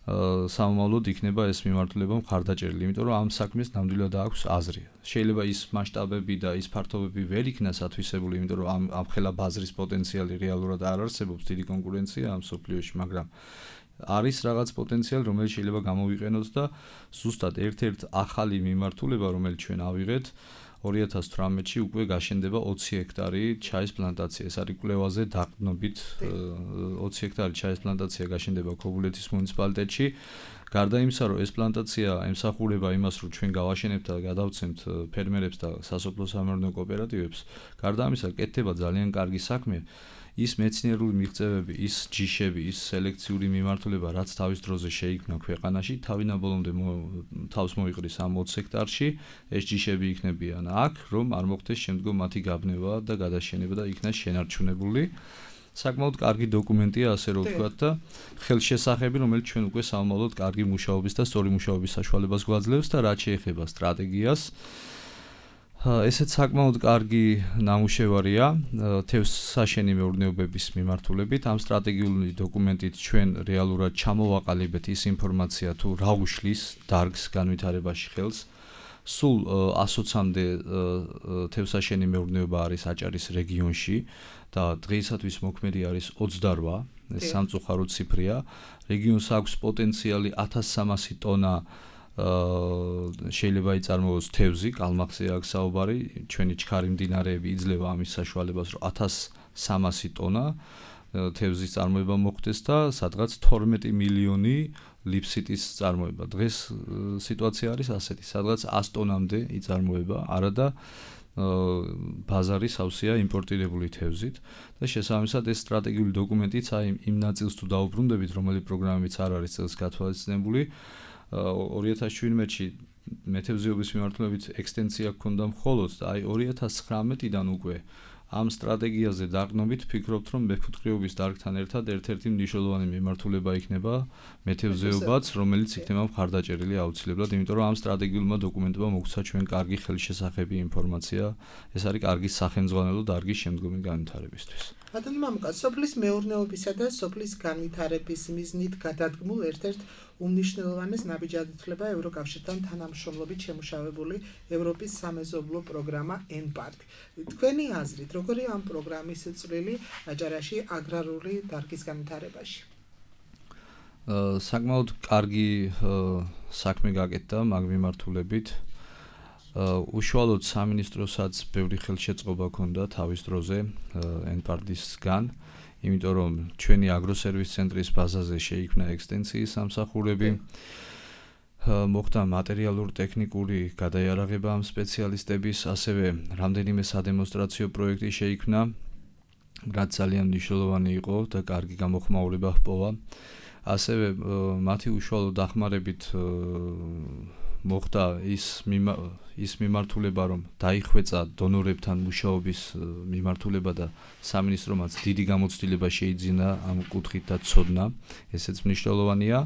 სამომავლოდ იქნება ეს მიმართულება მხარდაჭერილი, იმიტომ რომ ამ საქმეს ნამდვილად აქვს აზრი. შეიძლება ის მასშტაბები და ის ფართობები ვერ იქნას ათვისებული, იმიტომ რომ ამ ხელა ბაზრის პოტენციალი რეალურად არ არსებობს, დიდი კონკურენცია ამ სოფლიოში, მაგრამ არის რაღაც პოტენციალი, რომელიც შეიძლება გამოვიყენოთ და ზუსტად ერთ-ერთ ახალი მიმართულება, რომელიც ჩვენ ავიღეთ 2018-ში უკვე გაშენდება 20 ჰექტარი ჩაის პლანტაცია. ეს არის კვლევაზე დაყრდნობით 20 ჰექტარი ჩაის პლანტაცია გაშენდება ქობულეთის მუნიციპალიტეტში. გარდა იმისა, რომ ეს პლანტაცია ემსახურება იმას, რომ ჩვენ გავაშენებთ და გადავცემთ ფერმერებს და სასოფლო-სამეურნეო კოოპერატივებს, გარდა ამისა კეთდება ძალიან კარგი საქმე. ის მეცნიერული მიღწევები, ის ჯიშები, ის სელექციური მიმართულება, რაც თავის დროზე შეიქმნა ქვეყანაში, თავიდან ბოლომდე თავს მოიყრის ამ 20 ჰექტარში, ეს ჯიშები იქნებიან აქ, რომ არ მოხდეს შემდგომ მათი გაბნევა და გადაშენება და იქნას შენარჩუნებული. საკმაოდ კარგი დოკუმენტია, ასე რომ ვთქვათ და ხელშესახები, რომელიც ჩვენ უკვე სამომავლოდ კარგი მუშაობის და სწორი მუშაობის საშუალებას გვაძლევს და რაც შეეხება სტრატეგიას, ესეც საკმაოდ კარგი ნამუშევარია თევზსაშენი მეურნეობების მიმართულებით. ამ სტრატეგიული დოკუმენტით ჩვენ რეალურად ჩამოვაყალიბეთ ის ინფორმაცია, თუ რა უშლის დარგს განვითარებაში ხელს. სულ 120-მდე თევზსაშენი მეურნეობა არის აჭარის რეგიონში და დღეისათვის მოქმედი არის 28, ეს სამწუხარო ციფრია. რეგიონს აქვს პოტენციალი 1300 ტონა შეიძლება იწარმოოს თევზი, კალმახზე აქვს საუბარი, ჩვენი ჩქარი მდინარეები იძლევა ამის საშუალებას, რომ 1300 ტონა თევზის წარმოება მოხდეს და სადღაც 12 მილიონი ლიფსიტის წარმოება. დღეს სიტუაცია არის ასეთი, სადღაც 100 ტონამდე იწარმოება, არადა ბაზარი სავსეა იმპორტირებული თევზით და შესაბამისად ეს სტრატეგიული დოკუმენტიც აი იმ ნაწილს თუ დაუბრუნდებით, რომელი პროგრამებიც არ არის წელს გათვალისწინებული, 2017-ში მეთევზეობის მიმართულებით ექსტენსია ჰქონდა მხოლოდ და აი 2019-დან უკვე ამ სტრატეგიაზე დაყრდნობით ფიქრობთ, რომ მეფუტკრეობის დარგთან ერთად ერთ-ერთი მნიშვნელოვანი მიმართულება იქნება მეთევზეობაც, რომელიც იქნება მხარდაჭერილი აუცილებლად, იმიტომ რომ ამ სტრატეგიულმა დოკუმენტებმა მოგვცა ჩვენ კარგი ხელშესახები ინფორმაცია, ეს არის კარგი სახელმძღვანელო დარგის შემდგომი განვითარებისთვის. ბატონო მამუკა, სოფლის მეურნეობისა და სოფლის განვითარების მიზნით გადადგმულ ერთ-ერთ უმნიშვნელოვანეს ნაბიჯად ითვლება ევროკავშირთან თანამშრომლობით შემუშავებული ევროპის სამეზობლო პროგრამა ENPART. თქვენი აზრით, როგორია ამ პროგრამის წვლილი აჭარაში აგრარული დარგის განვითარებაში? საკმაოდ კარგი საქმე გაკეთდა მაგ მიმართულებით. უშუალოდ სამინისტროსაც ბევრი ხელშეწყობა ჰქონდა თავის დროზე ENPART-ისგან, იმიტომ რომ ჩვენი აგროსერვის ცენტრის ბაზაზე შეიქმნა ექსტენსიის სამსახურები, მოხდა მატერიალურ-ტექნიკური გადაიარაღება ამ სპეციალისტების, ასევე რამდენიმე სადემონსტრაციო პროექტი შეიქმნა, რაც ძალიან მნიშვნელოვანი იყო და კარგი გამოხმაურება ჰპოვა. ასევე მათი უშუალო დახმარებით მოხდა ის მიმართულება, რომ დაიხვეწა დონორებთან მუშაობის მიმართულება და სამინისტრომაც დიდი გამოცდილება შეიძინა ამ კუთხით და ცოდნა, ესეც მნიშვნელოვანია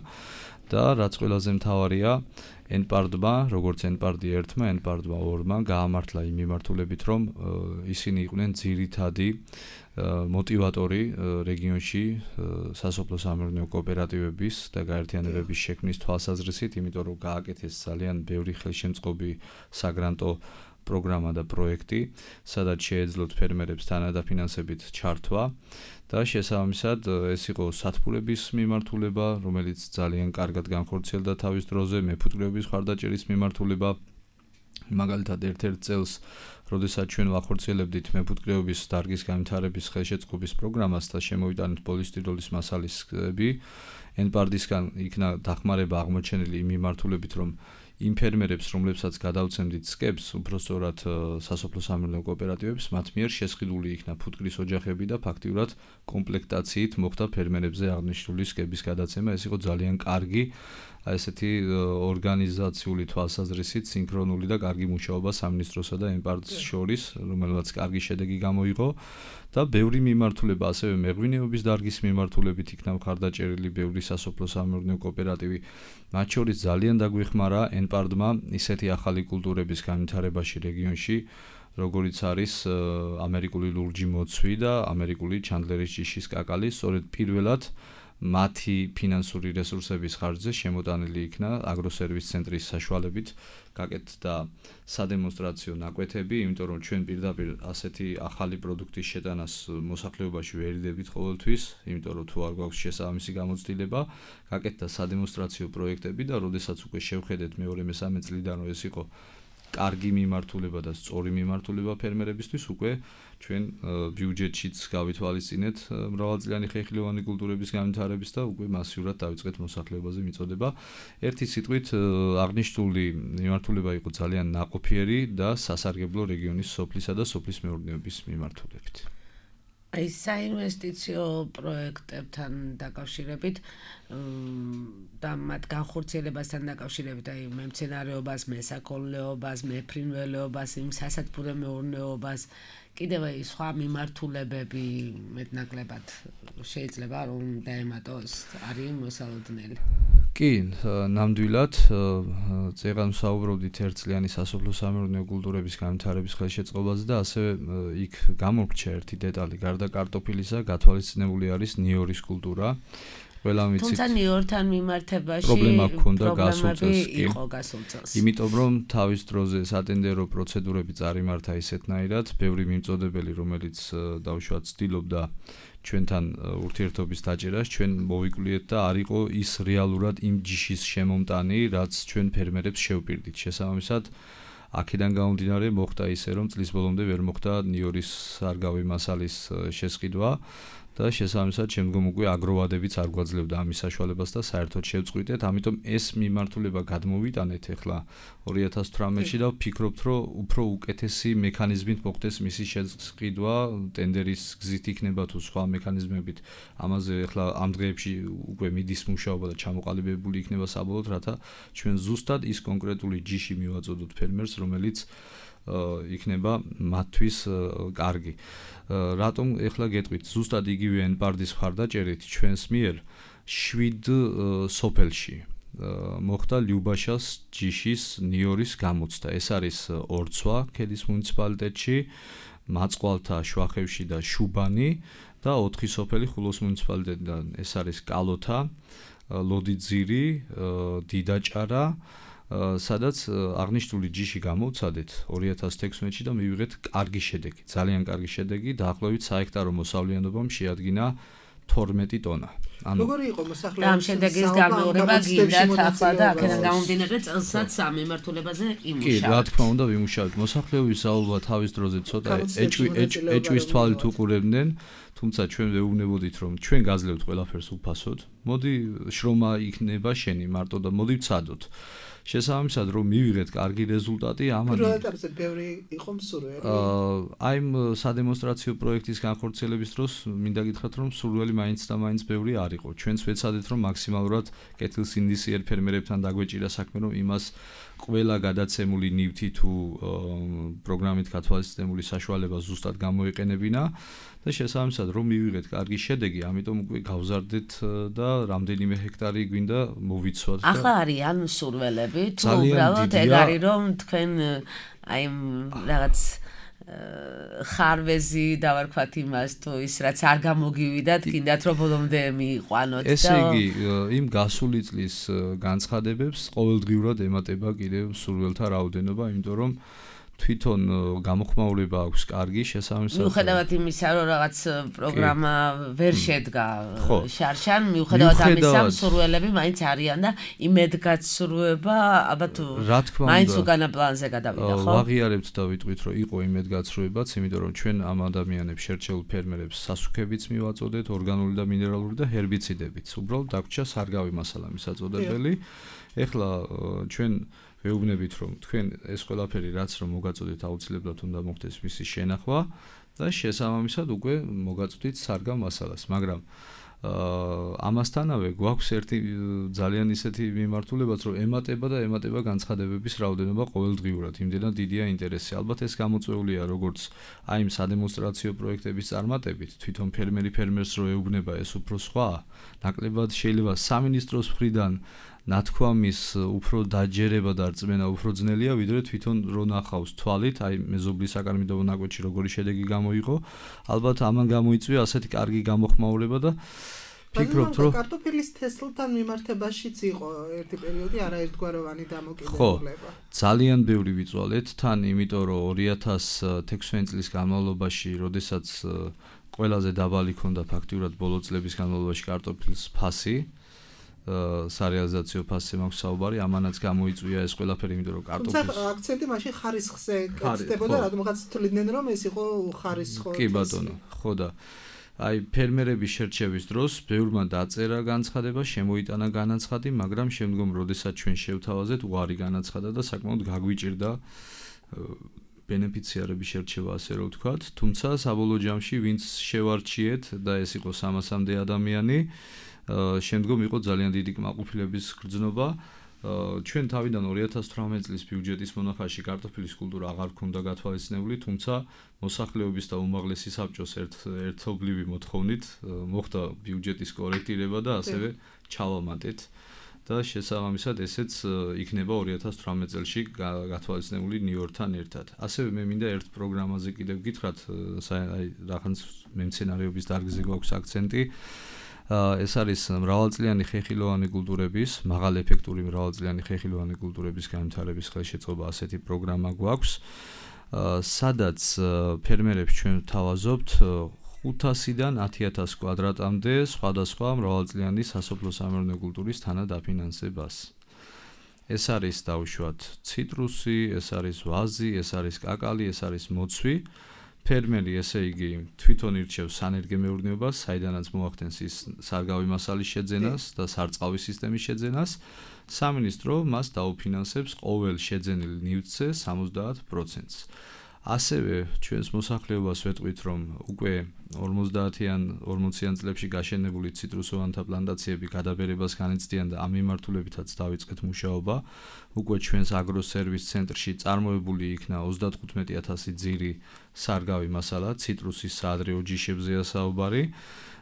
და რაც ყველაზე მთავარია, ენპარდმა, როგორც ენპარდი 1-მა, ენპარდმა 2-მა გაამართლა იმ მიმართულებით, რომ ისინი იყვნენ ძირითადი მოტივატორი რეგიონში სასოფლო-სამეურნეო კოოპერატივების და გაერთიანებების შექმნის თვალსაზრისით, იმიტომ რომ გააკეთეს ძალიან ბევრი ხელშემწყობი საგრანტო პროგრამა და პროექტი, სადაც შეეძლოთ ფერმერებს თანადაფინანსებით ჩართვა და შესაბამისად ეს იყო სათბურების მიმართულება, რომელიც ძალიან კარგად განხორციელდა თავის დროზე, მეფუტკრეობის ხარდაჭერის მიმართულება. მაგალითად, ერთ-ერთ წელს, როდესაც ჩვენ ვახორციელებდით მეფუტკრეობის დარგის განვითარების ხელშეწყობის პროგრამას და შემოვიტანეთ პოლისტიროლის მასალისები, ენპარდისგან იქნა დახმარება აღმოჩენილი იმ მიმართულებით, რომ იმ ფერმერებს, რომლებსაც გადავცემდით სკებს, უпростоრად სასოფლო-სამეურნეო კოოპერატივებს, მათ მიერ შესყიდული იქნა ფუტკრის ოჯახები და ფაქტიურად კომპლექტაციით მოხდა ფერმერებზე აღნიშნული სკების გადაცემა. ეს იყო ძალიან კარგი, ესეთი ორგანიზაციული თვალსაზრისით სინქრონული და კარგი მუშაობა სამინისტროსა და ენპარდს შორის, რომელმაც კარგი შედეგი გამოიღო და ბევრი მიმართულება, ასევე მეღვინეობის დარგის მიმართულებით იქნა მხარდაჭერილი ბევრი სასოფლო-სამეურნეო კოოპერატივი. მათ შორის ძალიან დაგვეხმარა ენპარდმა ისეთი ახალი კულტურების განვითარებაში რეგიონში, როგორიც არის ამერიკული ლურჯი მოცვი და ამერიკული ჩანდლერის ჯიშის კაკალი, სწორედ პირველად მათი ფინანსური რესურსების ხარჯზე შემოტანილი იქნა აგროსერვის ცენტრის საშუალებით გაკეთდა სადემონსტრაციო ნაკვეთები, იმიტომ რომ ჩვენ პირდაპირ ასეთი ახალი პროდუქტის შეტანას მოსახლეობაში ვერიდებით ყოველთვის, იმიტომ რომ თუ არ გვაქვს შესაბამისი გამოცდილება, გაკეთდა სადემონსტრაციო პროექტები და როდესაც უკვე შევხედეთ მეორე-მესამე წლიდან რომ ეს იყო კარგი მიმართულება და სწორი მიმართულება ფერმერებისთვის, უკვე ჩვენ ბიუჯეტშიც გავითვალისწინეთ მრავალწლიანი ხეხილოვანი კულტურების განვითარების და უკვე მასიურად დავიწყეთ მოსახლეობაზე მიწოდება. ერთი სიტყვით აღნიშნული მიმართულება იყო ძალიან ნაყოფიერი და სასარგებლო რეგიონის სოფლისა და სოფლის მეურნეობის მიმართულებით. აი საინვესტიციო პროექტებთან დაკავშირებით და მათ განხორციელებასთან დაკავშირებით, აი მემცენარეობას, მესაქონლეობას, მეფრინველეობას, იმ სასათბურე მეურნეობას, კიდევ აი სხვა მიმართულებები მეტნაკლებად შეიძლება რომ დაემატოს, არის მოსალოდნელი. კი, ნამდვილად, წეგან ვსაუბრობდით ერთწლიანი სასოფლო-სამეურნეო კულტურების განვითარების ხელშეწყობაზე და ასევე იქ გამორჩა ერთი დეტალი, გარდა კარტოფილისა, გათვალისწინებული არის ნიორის კულტურა. ყველა ვიცით. თუმცა ნიორთან მიმართებაში პრობლემა ჰქონდა გასულ წელს, კი. იყო გასულ წელს. იმიტომ რომ თავის დროზე სატენდერო პროცედურები წარიმართა ისეთნაირად, ბევრი მიმწოდებელი, რომელიც დაუშვათ ცდილობდა ჩვენთან ურთიერთობის დაჭერას, ჩვენ მოვიკვლიეთ და არ იყო ის რეალურად იმ ჯიშის შემომტანი, რაც ჩვენ ფერმერებს შევპირდით. შესაბამისად, აქედან გამომდინარე მოხდა ისე, რომ წლის ბოლომდე ვერ მოხდა ნიორის სარგავი მასალის შესყიდვა და შესაბამისად შემდგომ უკვე აგროვადებიც არ გვაძლევდა ამის საშუალებას და საერთოდ შევწყვიტეთ. ამიტომ ეს მიმართულება გადმოვიტანეთ ახლა 2018-ში და ვფიქრობთ, რომ უფრო უკეთესი მექანიზმით მოხდეს მისი შესყიდვა, ტენდერის გზით იქნება თუ სხვა მექანიზმებით. ამაზე ახლა ამ დღეებში უკვე მიდის მუშაობა და ჩამოყალიბებული იქნება საბოლოოდ, რათა ჩვენ ზუსტად ის კონკრეტული ჯიში მივაწოდოთ ფერმერს, რომელიც იქნება მათთვის კარგი. რატომ ეხლა გეტყვით, ზუსტად იგივე ენპარდის მხარდაჭერით ჩვენს მიერ 7 სოფელში მოხდა ლიუბაშას ჯიშის ნიორის გამოცდა. ეს არის ორცვა ქედის მუნიციპალიტეტში, მაწყვალთა, შვახევში და შუბანი და 4 სოფელი ხულოს მუნიციპალიტეტიდან. ეს არის კალოთა, ლოდიძირი, დიდაჭარა, სადაც აღნიშნული ჯიში გამოვცადეთ 2016-ში და მივიღეთ კარგი შედეგი, ძალიან კარგი შედეგი, დაახლოებით საჰექტარო მოსავლიანობამ შეადგინა 12 ტონა. როგორი იყო მოსახლეობის და ამ შედეგის გამეორება გინდათ ახლა და აქედან გამომდინარე წელსაც ამ მიმართულებაზე იმუშავებთ. კი, რა თქმა უნდა, ვიმუშავებთ. მოსახლეობის საუბარ თავის დროზე ცოტა ეჭვის თვალით უყურებდნენ, თუმცა ჩვენ ვეუბნებოდით, რომ ჩვენ გაძლევთ ყველაფერს უფასოდ. მოდი შრომა იქნება შენი მარტო და მოდი ვცადოთ. შესაბამისად, რომ მივიღეთ კარგი რეზულტატი, ამან პირველ ეტაპზე ბევრი იყო მსურველი. აი ამ სადემონსტრაციო პროექტის განხორციელების დროს მინდა გითხრათ, რომ მსურველი მაინც და მაინც ბევრი არ იყო. ჩვენც ვეცადეთ, რომ მაქსიმალურად კეთილსინდისიერ ფერმერებთან დაგვეჭირა საქმე, რომ იმას ყველა გადაცემული ნივთი თუ პროგრამით გათვალისწინებული საშუალება ზუსტად გამოიყენებინა და შესაბამისად რომ მივიღეთ კარგი შედეგი, ამიტომ უკვე გავზარდეთ და რამდენიმე ჰექტარი გვინდა მოვიცვათ და ახლა არიან სურველები თუ უბრალოდ ეგ არის რომ თქვენ აი რაღაც ხარვეზი დავარქვათ იმას თუ ის რაც არ გამოგივიდათ, კიდათ რომ ბოლომდე მიიყვანოთ და ესე იგი იმ გასული წლის განცხადებებს ყოველდღიურად ემატება კიდევ სურველთა რაოდენობა, იმიტომ რომ თვითონ გამოხმაურება აქვს კარგი, შესაბამისად მიუხედავად იმისა რომ რაღაც პროგრამა ვერ შედგა შარშან, მიუხედავად ამისა სურველები მაინც არიან და იმედგაცრუება ალბათ მაინც უკანა პლანზე გადავიდა, ხო? ვაღიარებთ და ვიტყვით რომ იყო იმედგაცრუებაც, იმიტომ რომ ჩვენ ამ ადამიანებს შერჩეულ ფერმერებს სასუქებიც მივაწოდეთ, ორგანული და მინერალური და ჰერბიციდებიც. უბრალოდ დაგვრჩა სარგავი მასალა მისაწოდებელი. ეხლა ჩვენ ვეუბნებით რომ თქვენ ეს ყველაფერი რაც რომ მოგაწოდეთ აუცილებლად უნდა მოხდეს მისი შენახვა და შესაბამისად უკვე მოგაწოდით სარგავ მასალას, მაგრამ ამასთანავე გვაქვს ერთი ძალიან ისეთი მიმართულებაც რომ ემატება განცხადებების რაოდენობა ყოველდღიურად, იმდენად დიდია ინტერესი. ალბათ ეს გამოწვეულია როგორც აი იმ სადემონსტრაციო პროექტების წარმატებით, თვითონ ფერმერს რო ეუბნება ეს უფრო სხვა, ნაკლებად შეიძლება სამინისტროს მხრიდან ნათქვამის უფრო დაჯერება და რწმენა უფრო ძნელია, ვიდრე თვითონ რო ნახავს თვალით, აი მეზობლის საკარმიდო ნაკვეთში როგორი შედეგი გამოიღო, ალბათ ამან გამოიწვია ასეთი კარგი გამოხმაურება და ფიქრობთ რომ კარტოფილის თესლთან მიმართებაშიც იყო ერთი პერიოდი არაერთგვაროვანი დამოკიდებულება. ძალიან ბევრი ვიწვალეთ თან, იმიტომ რომ 2016 წლის განმავლობაში, როდესაც ყველაზე დაბალი ქონდა ფაქტიურად ბოლო წლების განმავლობაში კარტოფილის ფასი, სარეალიზაციო ფასზე მაქვს საუბარი, ამანაც გამოიწვია ეს ყველაფერი, იმიტომ რომ კარტოფილის აქცენტი მაშინ ხარისხზე კეთდებოდა, რადგან თვლიდნენ რომ ეს იყო ხარისხო. კი ბატონო, ხო და აი ფერმერების შერჩევის დროს ბევრმა დაწერა განცხადება, შემოიტანა განაცხადი, მაგრამ შემდგომ როდესაც ჩვენ შევთავაზეთ, უარი განაცხადა და საკმაოდ გაგვიჭირდა ბენეფიციარების შერჩევა, ასე რომ ვთქვათ, თუმცა საბოლოო ჯამში ვინც შევარჩიეთ და ეს იყო 300-მდე ადამიანი, შემდგომ იყო ძალიან დიდი კმაყოფილების გრძნობა. ჩვენ თავიდან 2018 წლის ბიუჯეტის მონახაში კარტოფილის კულტურა აღარ ქონდა გათვალისწინებული, თუმცა მოსახლეობის და უმაღლესი საბჭოს ერთობლივი მოთხოვნით მოხდა ბიუჯეტის კორექტირება და ასევე ჩავამატეთ და შესაბამისად ესეც იქნება 2018 წელში გათვალისწინებული ნიუ-იორკთან ერთად. ასევე მე მინდა ერთ პროგრამაზე კიდევ გითხრათ, აი რაღაც მემცენარეობის დარგზე გვაქვს აქცენტი. ეს არის მრავალწლიანი ხეხილოვანი კულტურების, მაღალეფექტური მრავალწლიანი ხეხილოვანი კულტურების განვითარების ხელშეწყობა ასეთი პროგრამა გვაქვს, სადაც ფერმერებს ჩვენ ვთავაზობთ 500-დან 10,000 კვადრატამდე სხვადასხვა მრავალწლიანი სასოფლო-სამეურნეო კულტურის თანადაფინანსებას. ეს არის დაუშვათ ციტრუსი, ეს არის ვაზი, ეს არის კაკალი, ეს არის მოცვი. ფერმერი ესე იგი თვითონ ირჩევს სანერგემეურნეობას, საიდანაც მოახდენს ის სარგავი მასალის შეძენას და სარწყავი სისტემის შეძენას. სამინისტრო მას დაუფინანსებს ყოველ შეძენილ ნივთზე 70%-ს. ასევე ჩვენს მოსახლეობას ვეტყვით, რომ უკვე 50-40 წლებში გაშენებული ციტრუსოვანთა პლანტაციები გადაბერებას განიცდიან და ამ მიმართულებითაც დავიწყეთ მუშაობა. უკვე ჩვენს აგროსერვის ცენტრში წარმოებული იქნა 35,000 ძირი სარგავი მასალა, ციტრუსის საადრეო ჯიშებზეა საუბარი.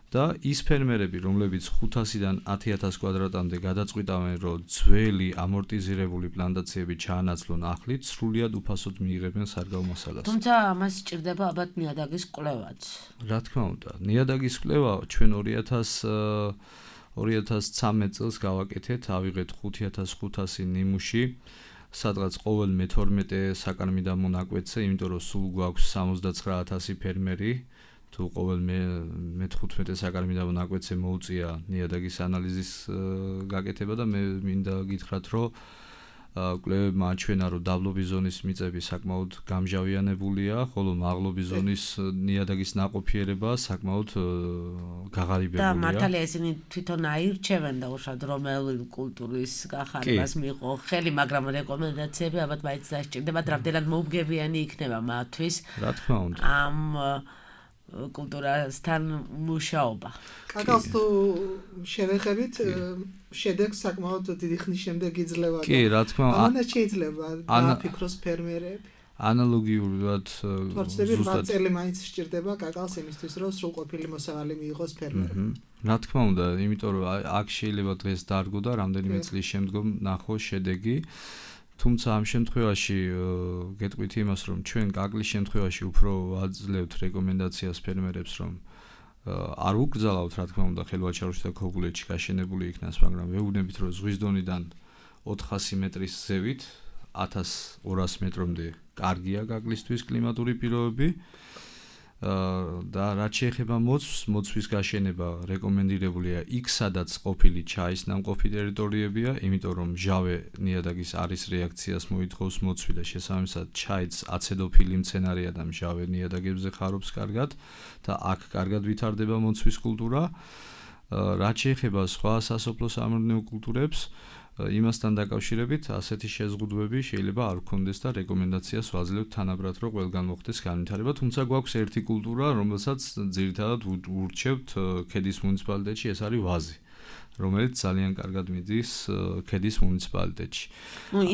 და ის ფერმერები, რომლებიც 500-დან 10,000 კვადრატამდე გადაწყვიტავენ, რომ ძველი ამორტიზირებული პლანტაციები ჩაანაცვლონ ახლით, სრულიად უფასოდ მიიღებენ სარგავ მასალას. თუმცა ამას სჭირდება ალბათ ნიადაგის კვლევაც. რა თქმა უნდა, ნიადაგის კვლევა ჩვენ 2013 წელს გავაკეთეთ, ავიღეთ 5,500 ნიმუში, სადღაც ყოველ მე-12 საკარმიდამო ნაკვეთზე, იმიტომ რომ სულ გვაქვს 79,000 ფერმერი. თუ ყოველ მე-15 საკარმიდამო ნაკვეთზე მოუწია ნიადაგის ანალიზის გაკეთება და მე მინდა გითხრათ, რომ კვლევებმა აჩვენა, რომ დაბლობის ზონის მიწები საკმაოდ გამჟავიანებულია, ხოლო მაღლობის ზონის ნიადაგის ნაყოფიერება საკმაოდ გაღარიბებულია. და მართალია ისინი თვითონ აირჩევენ და უშუალოდ რომელი კულტურის გახარებას მიიღო ხელი, მაგრამ რეკომენდაციები ალბათ მაინც დასჭირდებათ, რამდენად მოუგებიანი იქნება მათთვის. რა თქმა უნდა. ამ კულტურასთან მუშაობა. კაკალს თუ შევეხებით, შედეგს საკმაოდ დიდი ხნის შემდეგ იძლევა. კი, რა თქმა უნდა. ამას შეიძლება დააფიქროს ფერმერები. ანალოგიურად თორცდები 8 წელი მაინც სჭირდება კაკალს იმისთვის რომ სრულყოფილი მოსავალი მიიღოს ფერმერმა. რა თქმა უნდა, იმიტომ რომ აქ შეიძლება დღეს დარგო და რამდენიმე წლის შემდგომ ნახოს შედეგი. თუმცა ამ შემთხვევაში გეტყვით იმას, რომ ჩვენ კაკლის შემთხვევაში უფრო ვაძლევთ რეკომენდაციას ფერმერებს, რომ არ უკრძალავთ, რა თქმა უნდა, ხელვაჩაროში და ქოგულეთში გაშენებული იქნას, მაგრამ ვეუბნებით, რომ ზღვის დონიდან 400 მეტრის ზევით 1200 მეტრამდე კარგია კაკლისთვის კლიმატური პირობები და რაც შეეხება მოცვის გაშენება რეკომენდირებულია იქ, სადაც ყოფილი ჩაის ნამყოფი ტერიტორიებია, იმიტომ რომ მჟავე ნიადაგის არის რეაქციას მოითხოვს მოცვი და შესაბამისად ჩაიც აცედოფილი მცენარეა და მჟავე ნიადაგებზე ხარობს კარგად და აქ კარგად ვითარდება მოცვის კულტურა. რაც შეეხება სხვა სასოფლო სამეურნეო კულტურებს, იმასთან დაკავშირებით ასეთი შეზღუდვები შეიძლება არ გქონდეს და რეკომენდაციას ვაძლევთ თანაბრად, რომ ყველგან მოხდეს განვითარება, თუმცა გვაქვს ერთი კულტურა, რომელსაც ძირითადად ურჩევთ ქედის მუნიციპალიტეტში, ეს არის ვაზი, რომელიც ძალიან კარგად მიდის ქედის მუნიციპალიტეტში.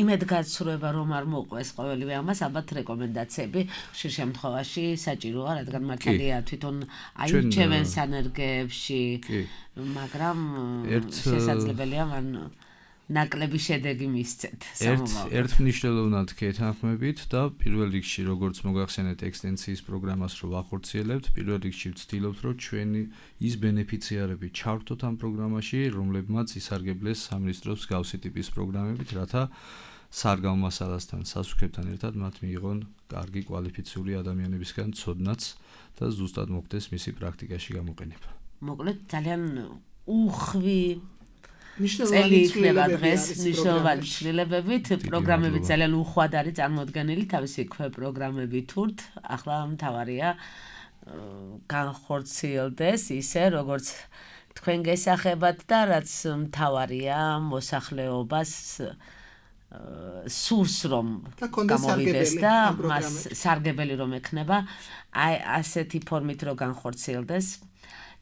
იმედგაცრუება რომ არ მოყვეს ყოველივე ამას, ალბათ რეკომენდაციები ხშირ შემთხვევაში საჭიროა, რადგან მართალია თვითონ აირჩევენ სანერგეებში, მაგრამ შესაძლებელია მან ნაკლები შედეგი მისცეთ სამომავლოდ. ერთ მნიშვნელოვნად გეთანხმებით და პირველ რიგში როგორც მოგახსენეთ ექსტენსიის პროგრამას რო ვახორციელებთ, პირველ რიგში ვცდილობთ რომ ჩვენი ის ბენეფიციარები ჩავრთოთ ამ პროგრამაში, რომლებმაც ისარგებლეს სამინისტროს გავსი ტიპის პროგრამებით, რათა სარგავ მასალასთან სასუქებთან ერთად მათ მიიღონ კარგი კვალიფიციური ადამიანებისგან ცოდნაც და ზუსტად მოხდეს მისი პრაქტიკაში გამოყენება. მოკლედ ძალიან უხვი წელი იქნება დღეს მნიშვნელოვანი ცვლილებებით, პროგრამები ძალიან უხვად არის წარმოდგენილი, თავისი პროგრამები თურთ, ახლა მთავარია განხორციელდეს ისე, როგორც თქვენ გესახებათ და რაც მთავარია მოსახლეობას სურს რომ გამოვიდეს და მას სარგებელი რომ ექნება, აი ასეთი ფორმით რომ განხორციელდეს,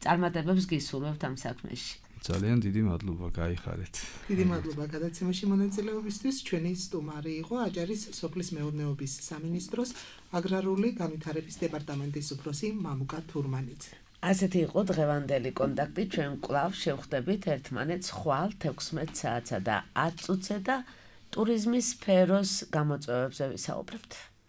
წარმატებებს გისურვებთ ამ საქმეში. ძალიან დიდი მადლობა, გაიხარეთ. დიდი მადლობა გადაცემაში მონაწილეობისთვის. ჩვენი სტუმარი იყო აჭარის სოფლის მეურნეობის სამინისტროს აგრარული განვითარების დეპარტამენტის უფროსი მამუკა თურმანიძე. ასეთი იყო დღევანდელი კონტაქტი. ჩვენ კვლავ შევხვდებით ერთმანეთს ხვალ 16 საათსა და 10 წუთზე და ტურიზმის სფეროს გამოწვევებზე ვისაუბრებთ.